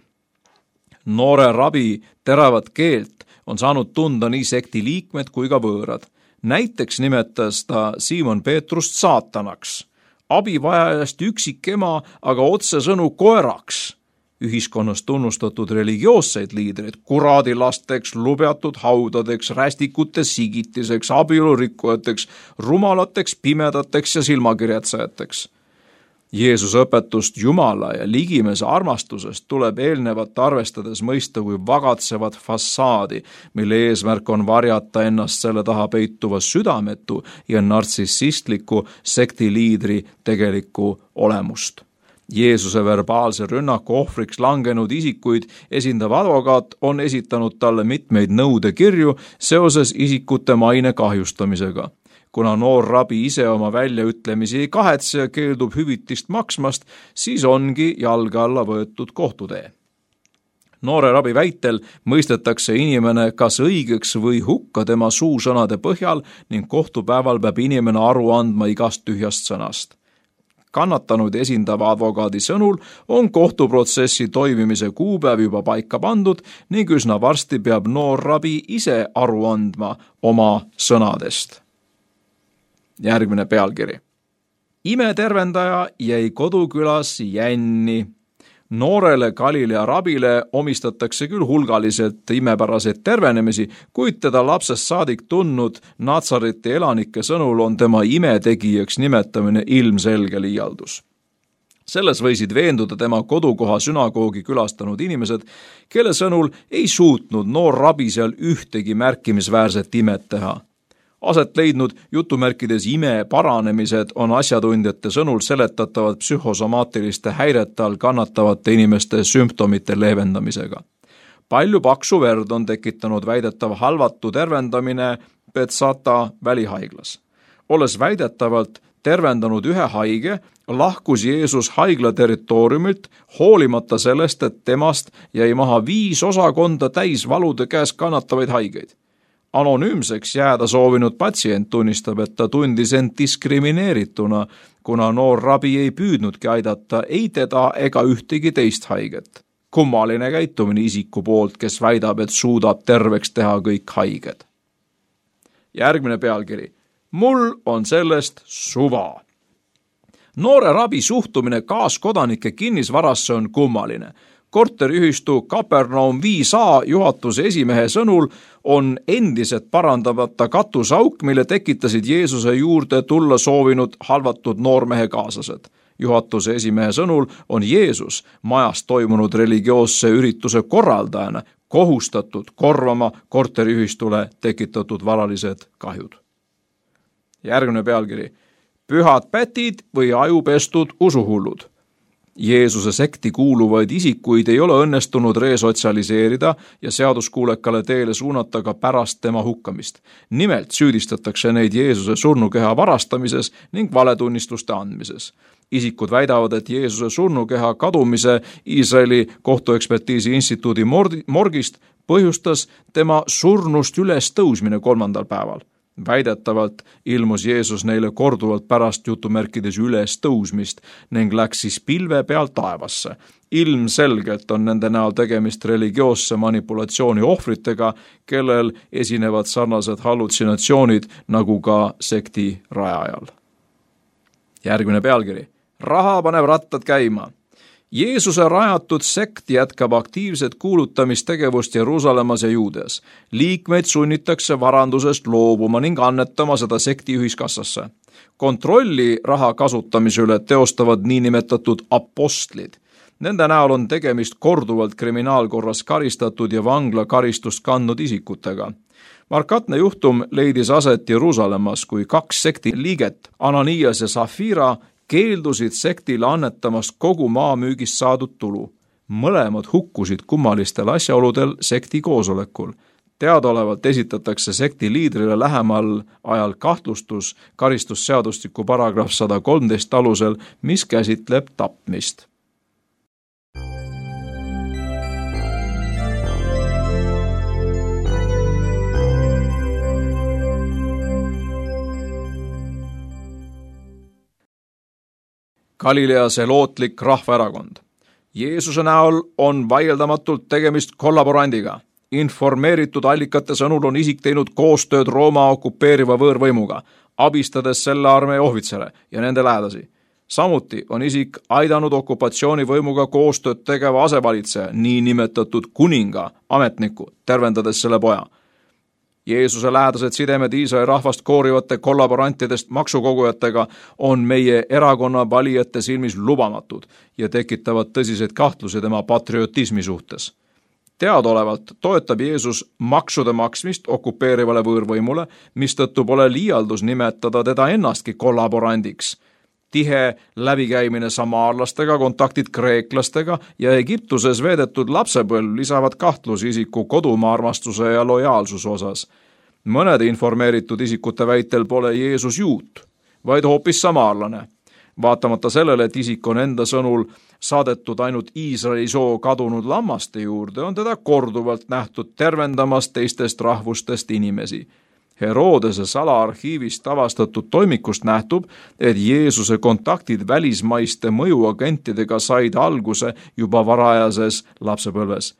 Noore rabi teravat keelt on saanud tunda nii sekti liikmed kui ka võõrad. Näiteks nimetas ta Siimon Peetrust saatanaks, abivajajast üksikema, aga otsesõnu koeraks ühiskonnas tunnustatud religioosseid liidreid kuradilasteks, lubjatud haudadeks, rästikute sigitiseks, abielurikkujateks, rumalateks, pimedateks ja silmakirjatsajateks. Jeesuse õpetust Jumala ja ligimese armastusest tuleb eelnevat arvestades mõista kui vagatsevat fassaadi, mille eesmärk on varjata ennast selle taha peituva südametu ja nartsissistliku sektiliidri tegelikku olemust. Jeesuse verbaalse rünnaku ohvriks langenud isikuid esindav advokaat on esitanud talle mitmeid nõudekirju seoses isikute maine kahjustamisega. Kuna noor rabi ise oma väljaütlemisi ei kahetse ja keeldub hüvitist maksmast, siis ongi jalge alla võetud kohtutee. Noore rabi väitel mõistetakse inimene kas õigeks või hukka tema suusõnade põhjal ning kohtupäeval peab inimene aru andma igast tühjast sõnast. Kannatanud esindava advokaadi sõnul on kohtuprotsessi toimimise kuupäev juba paika pandud ning üsna varsti peab noor rabi ise aru andma oma sõnadest. Järgmine pealkiri. Imetervendaja jäi kodukülas jänni. Noorele Galilea rabile omistatakse küll hulgaliselt imepäraseid tervenemisi, kuid teda lapsest saadik tundnud Natsareti elanike sõnul on tema imetegijaks nimetamine ilmselge liialdus. Selles võisid veenduda tema kodukoha sünagoogi külastanud inimesed, kelle sõnul ei suutnud noor rabi seal ühtegi märkimisväärset imet teha. Aset leidnud jutumärkides ime paranemised on asjatundjate sõnul seletatavad psühhosomaatiliste häirete all kannatavate inimeste sümptomite leevendamisega. Palju paksu verd on tekitanud väidetav halvatu tervendamine Betsata välihaiglas. Olles väidetavalt tervendanud ühe haige, lahkus Jeesus haigla territooriumilt, hoolimata sellest, et temast jäi maha viis osakonda täis valude käes kannatavaid haigeid. Anonüümseks jääda soovinud patsient tunnistab, et ta tundis end diskrimineerituna, kuna noor rabi ei püüdnudki aidata ei teda ega ühtegi teist haiget. Kummaline käitumine isiku poolt, kes väidab, et suudab terveks teha kõik haiged. Järgmine pealkiri. Mul on sellest suva. Noore rabi suhtumine kaaskodanike kinnisvarasse on kummaline. Korteriühistu Kapernaum viis A juhatuse esimehe sõnul on endiselt parandamata katusauk, mille tekitasid Jeesuse juurde tulla soovinud halvatud noormehe kaaslased. Juhatuse esimehe sõnul on Jeesus majas toimunud religioosse ürituse korraldajana kohustatud korvama korteriühistule tekitatud varalised kahjud. Järgmine pealkiri. Pühad pätid või ajupestud usuhullud. Jeesuse sekti kuuluvaid isikuid ei ole õnnestunud resotsialiseerida ja seaduskuulekale teele suunata ka pärast tema hukkamist. Nimelt süüdistatakse neid Jeesuse surnukeha varastamises ning valetunnistuste andmises. Isikud väidavad, et Jeesuse surnukeha kadumise Iisraeli kohtuekspertiisi instituudi morgist põhjustas tema surnust üles tõusmine kolmandal päeval. Väidetavalt ilmus Jeesus neile korduvalt pärast jutumärkides üles tõusmist ning läks siis pilve peal taevasse. Ilmselgelt on nende näol tegemist religioosse manipulatsiooni ohvritega, kellel esinevad sarnased hallutsinatsioonid nagu ka sekti rajajal. Järgmine pealkiri. Raha paneb rattad käima. Jeesuse rajatud sekt jätkab aktiivset kuulutamistegevust Jeruusalemmas ja Juudeas. Liikmeid sunnitakse varandusest loobuma ning annetama seda sekti ühiskassasse. Kontrolli raha kasutamise üle teostavad niinimetatud apostlid. Nende näol on tegemist korduvalt kriminaalkorras karistatud ja vanglakaristust kandnud isikutega. Markatne juhtum leidis aset Jeruusalemmas, kui kaks sekti liiget, Ananias ja Safira, keeldusid sektile annetamast kogu maamüügist saadud tulu. Mõlemad hukkusid kummalistel asjaoludel sekti koosolekul. Teadaolevalt esitatakse sekti liidrile lähemal ajal kahtlustus karistusseadustiku paragrahv sada kolmteist alusel, mis käsitleb tapmist. Galilea selootlik rahvaerakond. Jeesuse näol on vaieldamatult tegemist kollaborandiga. Informeeritud allikate sõnul on isik teinud koostööd Rooma okupeeriva võõrvõimuga, abistades selle armee ohvitsere ja nende lähedasi. samuti on isik aidanud okupatsioonivõimuga koostööd tegeva asevalitseja, niinimetatud kuninga ametniku, tervendades selle poja. Jeesuse lähedased sidemed Iisraeli rahvast koorivate kollaborantidest maksukogujatega on meie erakonna valijate silmis lubamatud ja tekitavad tõsiseid kahtlusi tema patriotismi suhtes. Teadaolevalt toetab Jeesus maksude maksmist okupeerivale võõrvõimule, mistõttu pole liialdus nimetada teda ennastki kollaborandiks. Tihe läbikäimine samaarlastega, kontaktid kreeklastega ja Egiptuses veedetud lapsepõlv lisavad kahtlusi isiku kodumaa armastuse ja lojaalsuse osas. Mõnede informeeritud isikute väitel pole Jeesus juut, vaid hoopis samaarlane. Vaatamata sellele, et isik on enda sõnul saadetud ainult Iisraeli soo kadunud lammaste juurde, on teda korduvalt nähtud tervendamas teistest rahvustest inimesi. Herodese salaarhiivist avastatud toimikust nähtub, et Jeesuse kontaktid välismaiste mõjuagentidega said alguse juba varajases lapsepõlves.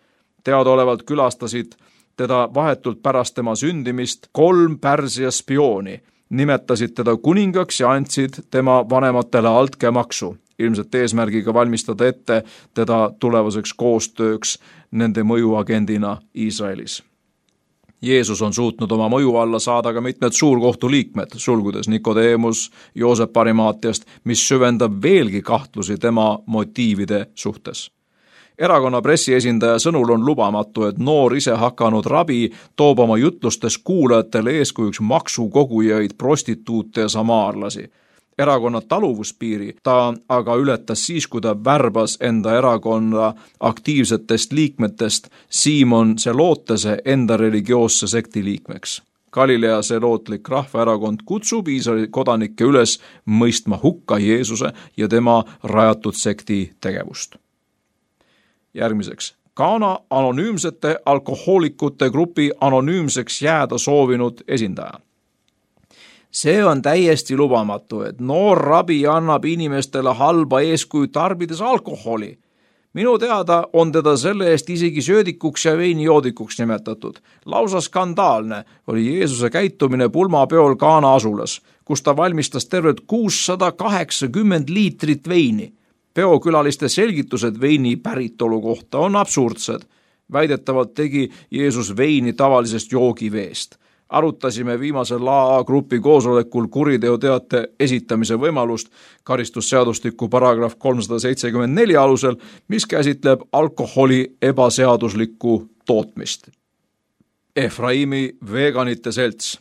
Teadaolevalt külastasid teda vahetult pärast tema sündimist kolm Pärsia spiooni, nimetasid teda kuningaks ja andsid tema vanematele altkäemaksu, ilmselt eesmärgiga valmistada ette teda tulevaseks koostööks nende mõjuagendina Iisraelis. Jeesus on suutnud oma mõju alla saada ka mitmed suurkohtu liikmed, sulgudes Nikodeemus, Joosep Arimaatiast, mis süvendab veelgi kahtlusi tema motiivide suhtes. Erakonna pressiesindaja sõnul on lubamatu, et noor ise hakanud rabi toob oma jutlustes kuulajatele eeskujuks maksukogujaid, prostituute ja samaarlasi. Erakonna taluvuspiiri ta aga ületas siis, kui ta värbas enda erakonna aktiivsetest liikmetest Simon Zelotese enda religioosse sekti liikmeks. Galilea selootlik rahvaerakond kutsub Iisraeli kodanikke üles mõistma hukka Jeesuse ja tema rajatud sekti tegevust. Järgmiseks, Kana anonüümsete alkohoolikute grupi anonüümseks jääda soovinud esindaja. See on täiesti lubamatu, et noor rabi annab inimestele halba eeskuju tarbides alkoholi. Minu teada on teda selle eest isegi söödikuks ja veinijoodikuks nimetatud. Lausa skandaalne oli Jeesuse käitumine pulmapeol Kana asulas, kus ta valmistas tervelt kuussada kaheksakümmend liitrit veini. Peokülaliste selgitused veini päritolu kohta on absurdsed. Väidetavalt tegi Jeesus veini tavalisest joogiveest. Arutasime viimasel A A grupi koosolekul kuriteoteate esitamise võimalust karistusseadustiku paragrahv kolmsada seitsekümmend neli alusel, mis käsitleb alkoholi ebaseaduslikku tootmist. Efraimi veganite selts.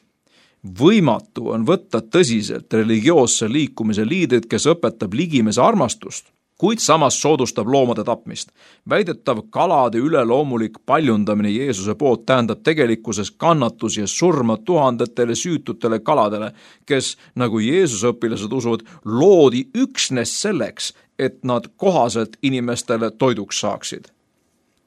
Võimatu on võtta tõsiselt religioosse liikumise liidrit, kes õpetab ligimese armastust, kuid samas soodustab loomade tapmist. Väidetav kalade üleloomulik paljundamine Jeesuse poolt tähendab tegelikkuses kannatusi ja surma tuhandetele süütutele kaladele, kes, nagu Jeesuse õpilased usuvad, loodi üksnes selleks, et nad kohaselt inimestele toiduks saaksid.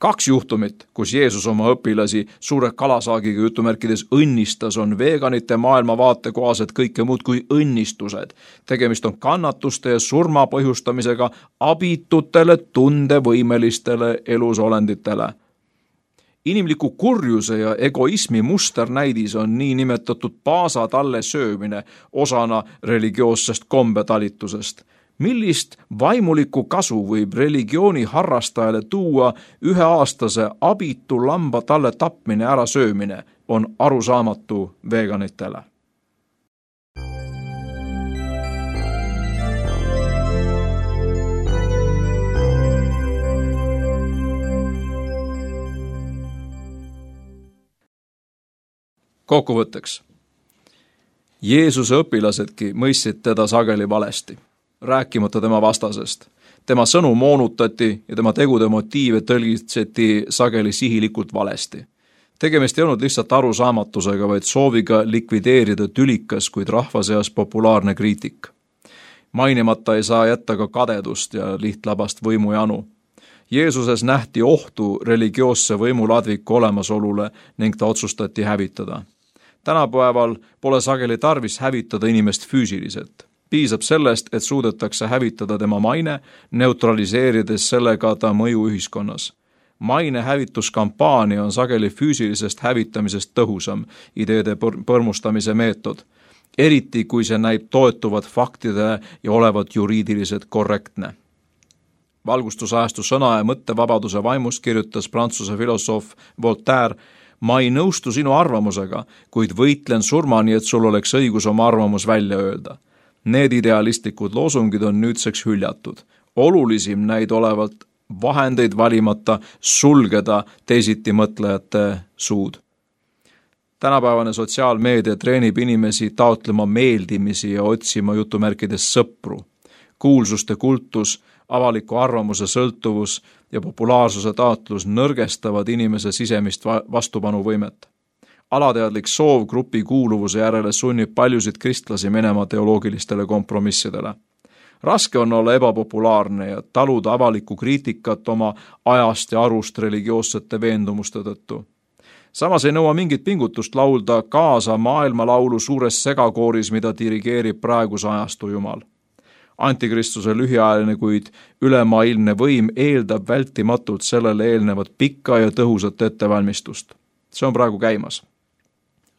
Kaks juhtumit, kus Jeesus oma õpilasi suure kalasaagiga jutumärkides õnnistas, on veganite maailmavaate kohaselt kõike muud kui õnnistused. Tegemist on kannatuste ja surma põhjustamisega abitutele tundevõimelistele elusolenditele. Inimliku kurjuse ja egoismi musternäidis on niinimetatud paasatalle söömine osana religioossest kombetalitusest. Millist vaimulikku kasu võib religiooni harrastajale tuua üheaastase abitu lamba talle tapmine ära söömine, on arusaamatu veganitele. Kokkuvõtteks. Jeesuse õpilasedki mõistsid teda sageli valesti, rääkimata tema vastasest. Tema sõnu moonutati ja tema tegude motiive tõlgitseti sageli sihilikult valesti. Tegemist ei olnud lihtsalt arusaamatusega, vaid sooviga likvideerida tülikas, kuid rahva seas populaarne kriitik. Mainimata ei saa jätta ka kadedust ja lihtlabast võimujanu. Jeesuses nähti ohtu religioosse võimuladviku olemasolule ning ta otsustati hävitada. Tänapäeval pole sageli tarvis hävitada inimest füüsiliselt. Piisab sellest, et suudetakse hävitada tema maine, neutraliseerides sellega ta mõju ühiskonnas. Maine hävituskampaania on sageli füüsilisest hävitamisest tõhusam ideede põrmustamise meetod. eriti kui see näib toetuvat faktidele ja olevat juriidiliselt korrektne. Valgustusajastu sõna- ja mõttevabaduse vaimust kirjutas prantsuse filosoof Voltaire: ma ei nõustu sinu arvamusega, kuid võitlen surmani, et sul oleks õigus oma arvamus välja öelda. Need idealistlikud loosungid on nüüdseks hüljatud. Olulisim näid olevalt vahendeid valimata sulgeda teisiti mõtlejate suud. Tänapäevane sotsiaalmeedia treenib inimesi taotlema meeldimisi ja otsima jutumärkides sõpru. Kuulsuste kultus, avaliku arvamuse sõltuvus ja populaarsuse taotlus nõrgestavad inimese sisemist vastupanuvõimet. Alateadlik soov grupi kuuluvuse järele sunnib paljusid kristlasi minema teoloogilistele kompromissidele. Raske on olla ebapopulaarne ja taluda avalikku kriitikat oma ajast ja arust religioossete veendumuste tõttu. Samas ei nõua mingit pingutust laulda kaasa maailmalaulu suures segakooris, mida dirigeerib praeguse ajastu jumal. Antikristuse lühiajaline, kuid ülemaailmne võim eeldab vältimatult sellele eelnevat pikka ja tõhusat ettevalmistust. See on praegu käimas.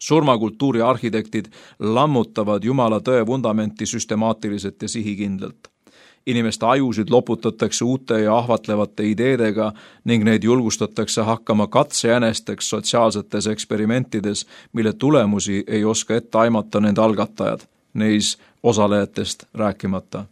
Surmakultuuri arhitektid lammutavad Jumala tõe vundamenti süstemaatiliselt ja sihikindlalt. Inimeste ajusid loputatakse uute ja ahvatlevate ideedega ning neid julgustatakse hakkama katsejänesteks sotsiaalsetes eksperimentides, mille tulemusi ei oska ette aimata nende algatajad, neis osalejatest rääkimata.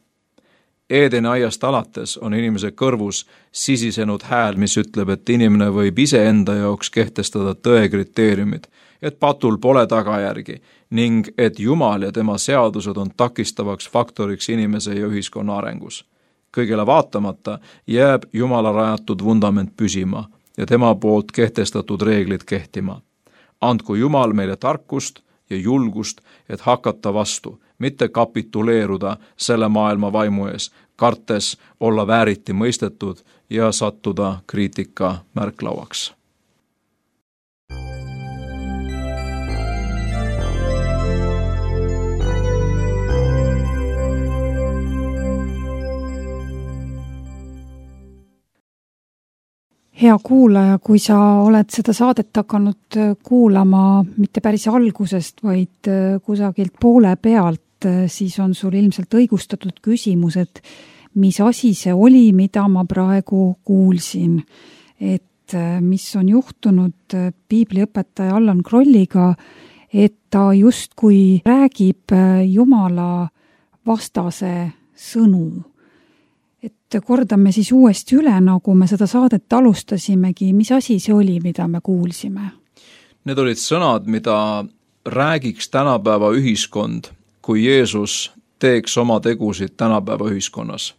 Eedeni aiast alates on inimese kõrvus sisisenud hääl, mis ütleb, et inimene võib iseenda jaoks kehtestada tõe kriteeriumid, et patul pole tagajärgi ning et Jumal ja tema seadused on takistavaks faktoriks inimese ja ühiskonna arengus. Kõigele vaatamata jääb Jumala rajatud vundament püsima ja tema poolt kehtestatud reeglid kehtima. Andku Jumal meile tarkust ja julgust, et hakata vastu, mitte kapituleeruda selle maailma vaimu ees, kartes olla vääriti mõistetud ja sattuda kriitika märklauaks. Hea kuulaja, kui sa oled seda saadet hakanud kuulama mitte päris algusest, vaid kusagilt poole pealt, siis on sul ilmselt õigustatud küsimus, et mis asi see oli, mida ma praegu kuulsin. Et mis on juhtunud piibliõpetaja Allan Krolliga, et ta justkui räägib Jumala vastase sõnu. Et kordame siis uuesti üle, nagu me seda saadet alustasimegi, mis asi see oli, mida me kuulsime? Need olid sõnad, mida räägiks tänapäeva ühiskond, kui Jeesus teeks oma tegusid tänapäeva ühiskonnas.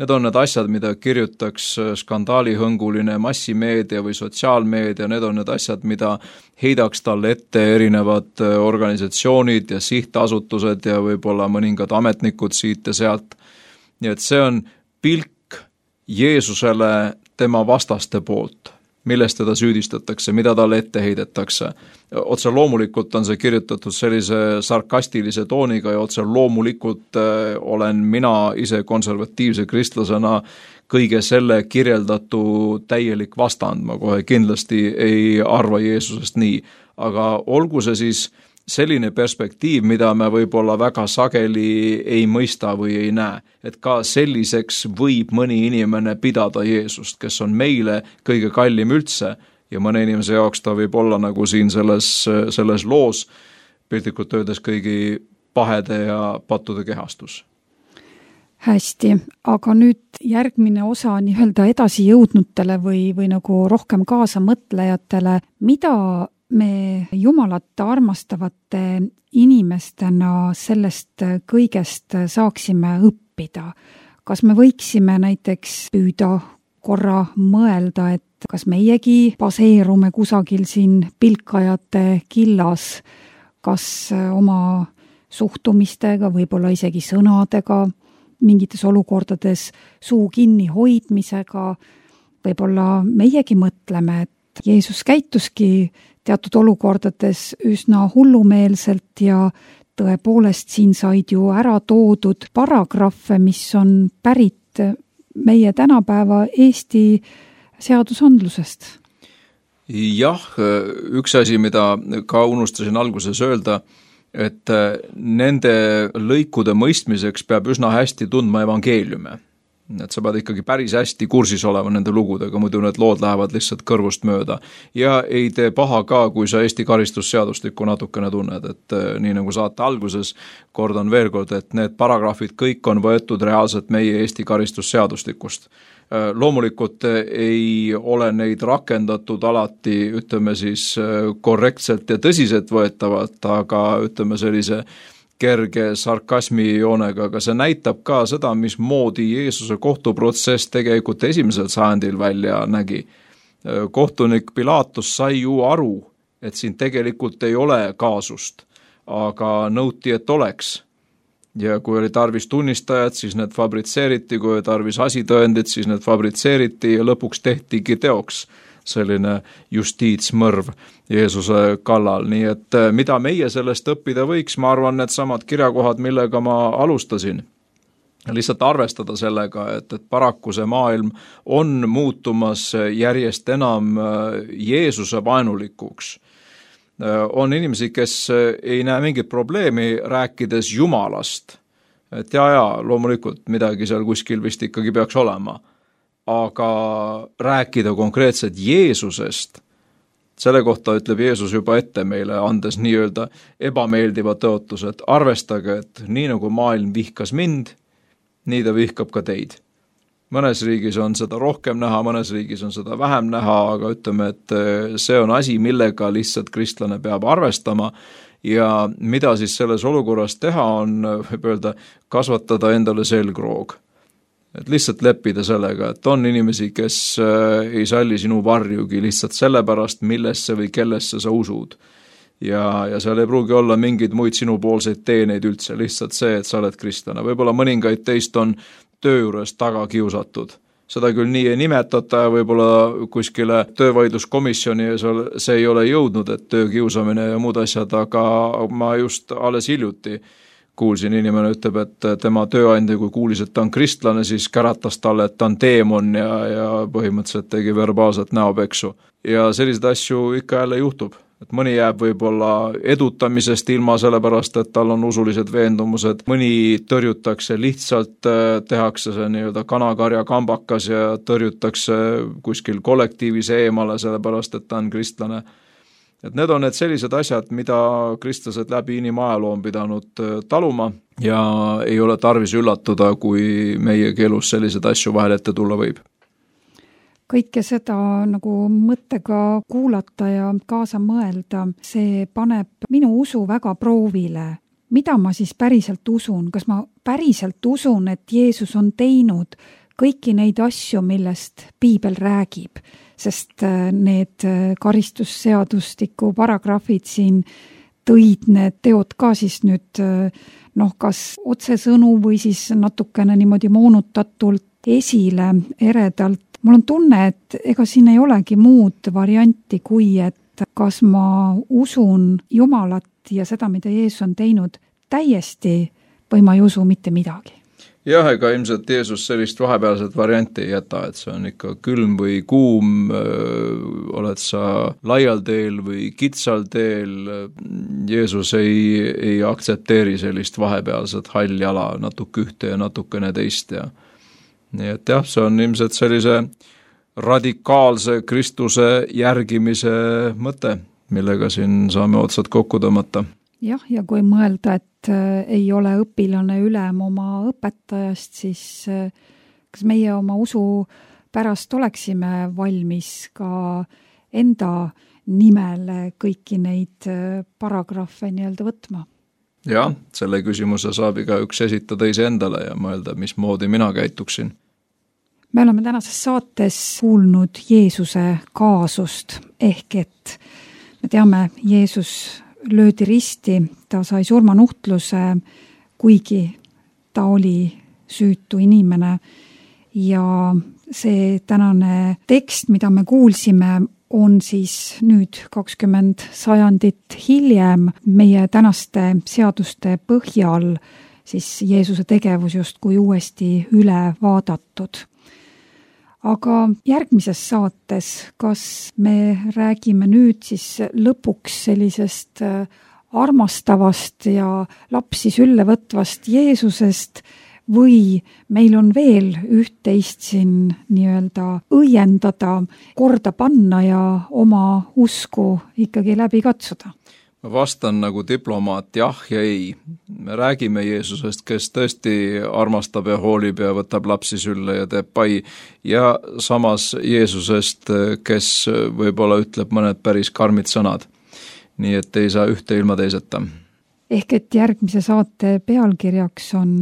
Need on need asjad, mida kirjutaks skandaalihõnguline massimeedia või sotsiaalmeedia, need on need asjad, mida heidaks talle ette erinevad organisatsioonid ja sihtasutused ja võib-olla mõningad ametnikud siit ja sealt. Nii et see on pilk Jeesusele tema vastaste poolt, millest teda süüdistatakse, mida talle ette heidetakse. Otse loomulikult on see kirjutatud sellise sarkastilise tooniga ja otse loomulikult olen mina ise konservatiivse kristlasena kõige selle kirjeldatu täielik vastand. Ma kohe kindlasti ei arva Jeesusest nii, aga olgu see siis selline perspektiiv, mida me võib-olla väga sageli ei mõista või ei näe, et ka selliseks võib mõni inimene pidada Jeesust, kes on meile kõige kallim üldse ja mõne inimese jaoks ta võib olla nagu siin selles, selles loos piltlikult öeldes kõigi pahede ja pattude kehastus. Hästi, aga nüüd järgmine osa nii-öelda edasi jõudnutele või, või nagu rohkem kaasa mõtlejatele, mida me Jumalat armastavate inimestena sellest kõigest saaksime õppida. Kas me võiksime näiteks püüda korra mõelda, et kas meiegi baseerume kusagil siin pilkajate killas, kas oma suhtumistega, võib-olla isegi sõnadega, mingites olukordades suu kinni hoidmisega, võib-olla meiegi mõtleme, et Jeesus käituski teatud olukordades üsna hullumeelselt ja tõepoolest siin said ju ära toodud paragrahve, mis on pärit meie tänapäeva Eesti seadusandlusest. Jah, üks asi, mida ka unustasin alguses öelda, et nende lõikude mõistmiseks peab üsna hästi tundma evangeeliume. Et sa pead ikkagi päris hästi kursis olema nende lugudega, muidu need lood lähevad lihtsalt kõrvust mööda. Ja ei tee paha ka, kui sa Eesti karistusseadustikku natukene tunned, et nii nagu saate alguses, kordan veel kord, et need paragrahvid kõik on võetud reaalselt meie Eesti karistusseadustikust. Loomulikult ei ole neid rakendatud alati, ütleme siis, korrektselt ja tõsiselt võetavalt, aga ütleme sellise kerge sarkasmi joonega, aga see näitab ka seda, mis moodi Jeesuse kohtuprotsess tegelikult esimesel sajandil välja nägi. Kohtunik Pilatus sai ju aru, et siin tegelikult ei ole kaasust, aga nõuti, et oleks. Ja kui oli tarvis tunnistajad, siis need fabritseeriti, kui oli tarvis asitõendid, siis need fabritseeriti ja lõpuks tehtigi teoks selline justiitsmõrv Jeesuse kallal. Nii et mida meie sellest õppida võiks, ma arvan, need samad kirjakohad, millega ma alustasin. Lihtsalt arvestada sellega, et, et paraku see maailm on muutumas järjest enam Jeesuse vaenulikuks. On inimesi, kes ei näe mingit probleemi rääkides Jumalast. Et ja, ja, loomulikult midagi seal kuskil vist ikkagi peaks olema. Aga rääkida konkreetselt Jeesusest, selle kohta ütleb Jeesus juba ette meile, andes nii-öelda ebameeldiva tõotuse, et arvestage, et nii nagu maailm vihkas mind, nii ta vihkab ka teid. Mõnes riigis on seda rohkem näha, mõnes riigis on seda vähem näha, aga ütleme, et see on asi, millega lihtsalt kristlane peab arvestama ja mida siis selles olukorras teha on, võib öelda, kasvatada endale selgroog. Et lihtsalt leppida sellega, et on inimesi, kes ei salli sinu varjugi lihtsalt sellepärast, millesse või kellesse sa usud. Ja, ja seal ei pruugi olla mingeid muid sinupoolseid teeneid üldse, lihtsalt see, et sa oled kristlane. Võib-olla mõningaid teist on töö juures taga kiusatud. Seda küll nii ei nimetata ja võib-olla kuskile töövaidluskomisjoni ja see ei ole jõudnud, et töökiusamine ja muud asjad, aga ma just alles hiljuti kuulsin, inimene ütleb, et tema tööandja, kui kuulis, et ta on kristlane, siis käratas talle, et ta on teemon ja, ja põhimõtteliselt tegi verbaalselt näopeksu. Ja sellised asju ikka jälle juhtub. Et mõni jääb võib-olla edutamisest ilma sellepärast, et tal on usulised veendumused, mõni tõrjutakse lihtsalt, tehakse see nii-öelda kanakarja kambakas ja tõrjutakse kuskil kollektiivis eemale sellepärast, et ta on kristlane. Et need on need sellised asjad, mida kristlased läbi inimajaloo on pidanud taluma ja ei ole tarvis üllatuda, kui meie keelus sellised asju vahel ette tulla võib. Kõike seda nagu mõttega kuulata ja kaasa mõelda, see paneb minu usu väga proovile. Mida ma siis päriselt usun? Kas ma päriselt usun, et Jeesus on teinud kõiki neid asju, millest Piibel räägib? Sest need karistusseadustiku paragrahvid siin tõid need teod ka siis nüüd noh, kas otsesõnu või siis natukene niimoodi moonutatult esile eredalt. Mul on tunne, et ega siin ei olegi muud varianti kui, et kas ma usun Jumalat ja seda, mida Jeesus on teinud täiesti või ma ei usu mitte midagi. Jah, ega ilmselt Jeesus sellist vahepealset varianti ei jäta, et see on ikka külm või kuum, oled sa laial teel või kitsal teel. Jeesus ei, ei aktsepteeri sellist vahepealset hall jala, natuke ühte ja natukene teist. Ja. Nii et jah, see on ilmselt sellise radikaalse Kristuse järgimise mõte, millega siin saame otsad kokku tõmmata. Jah, ja kui mõelda, et ei ole õpilane ülem oma õpetajast, siis kas meie oma usu pärast oleksime valmis ka enda nimel kõiki neid paragrahve nii-öelda võtma? Jah, selle küsimuse saab iga üks esitada ise endale ja mõelda, mismoodi mina käituksin. Me oleme tänases saates kuulnud Jeesuse kaasust, ehk et me teame, Jeesus löödi risti, ta sai surmanuhtluse, kuigi ta oli süütu inimene ja see tänane tekst, mida me kuulsime, on siis nüüd kakskümmend sajandit hiljem meie tänaste seaduste põhjal siis Jeesuse tegevus justkui uuesti üle vaadatud. Aga järgmises saates, kas me räägime nüüd siis lõpuks sellisest armastavast ja lapsi sülle võtvast Jeesusest või meil on veel üht-teist siin nii-öelda õiendada, korda panna ja oma usku ikkagi läbi katsuda? Ma vastan nagu diplomaat jah ja ei. Me räägime Jeesusest, kes tõesti armastab ja hoolib ja võtab lapsi sülle ja teeb pai, ja samas Jeesusest, kes võib-olla ütleb mõned päris karmid sõnad. Nii et ei saa ühte ilma teiseta. Ehk et järgmise saate pealkirjaks on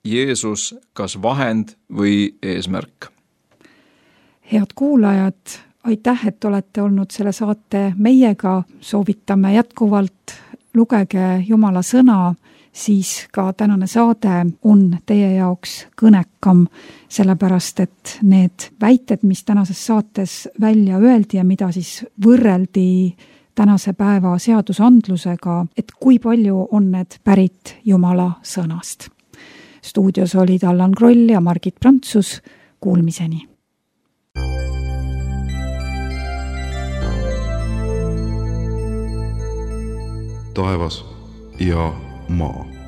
Jeesus kas vahend või eesmärk. Head kuulajad, aitäh, et olete olnud selle saate meiega, soovitame jätkuvalt, lugege Jumala sõna, siis ka tänane saade on teie jaoks kõnekam, sellepärast et need väited, mis tänases saates välja öeldi ja mida siis võrreldi tänase päeva seadusandlusega, et kui palju on need pärit Jumala sõnast. Stuudios olid Allan Kroll ja Margit Prantsus, kuulmiseni. Taevas ja maa.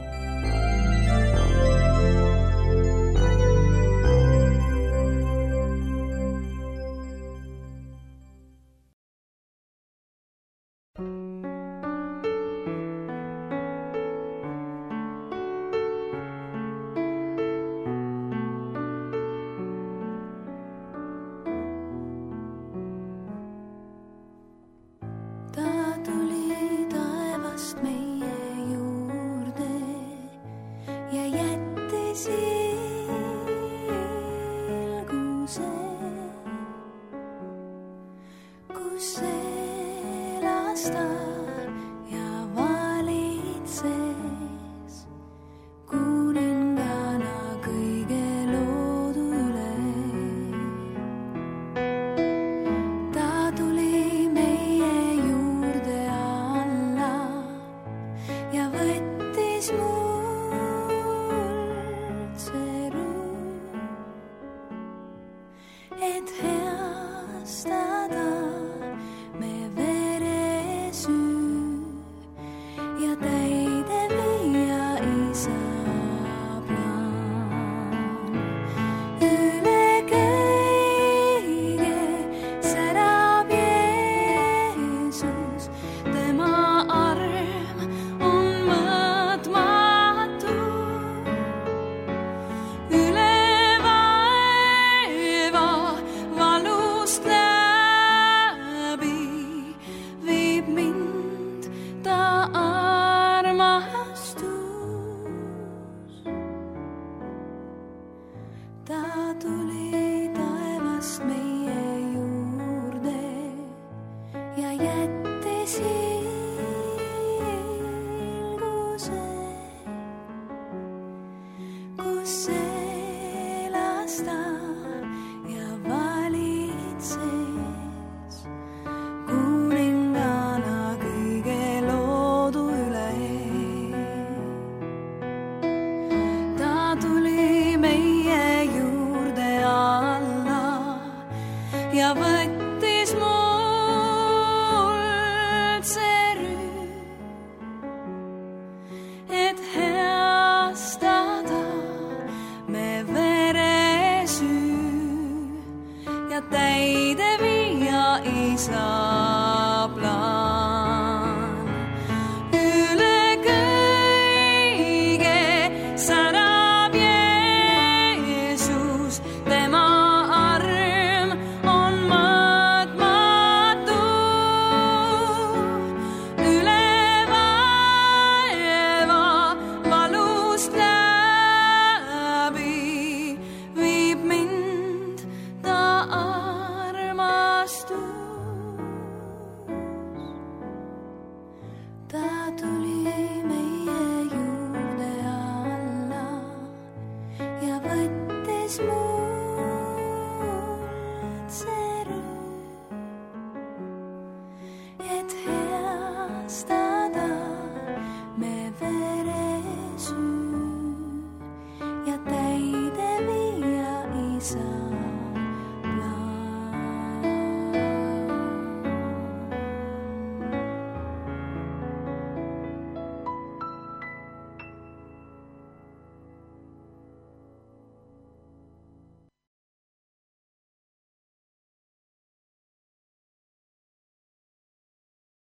Et heasta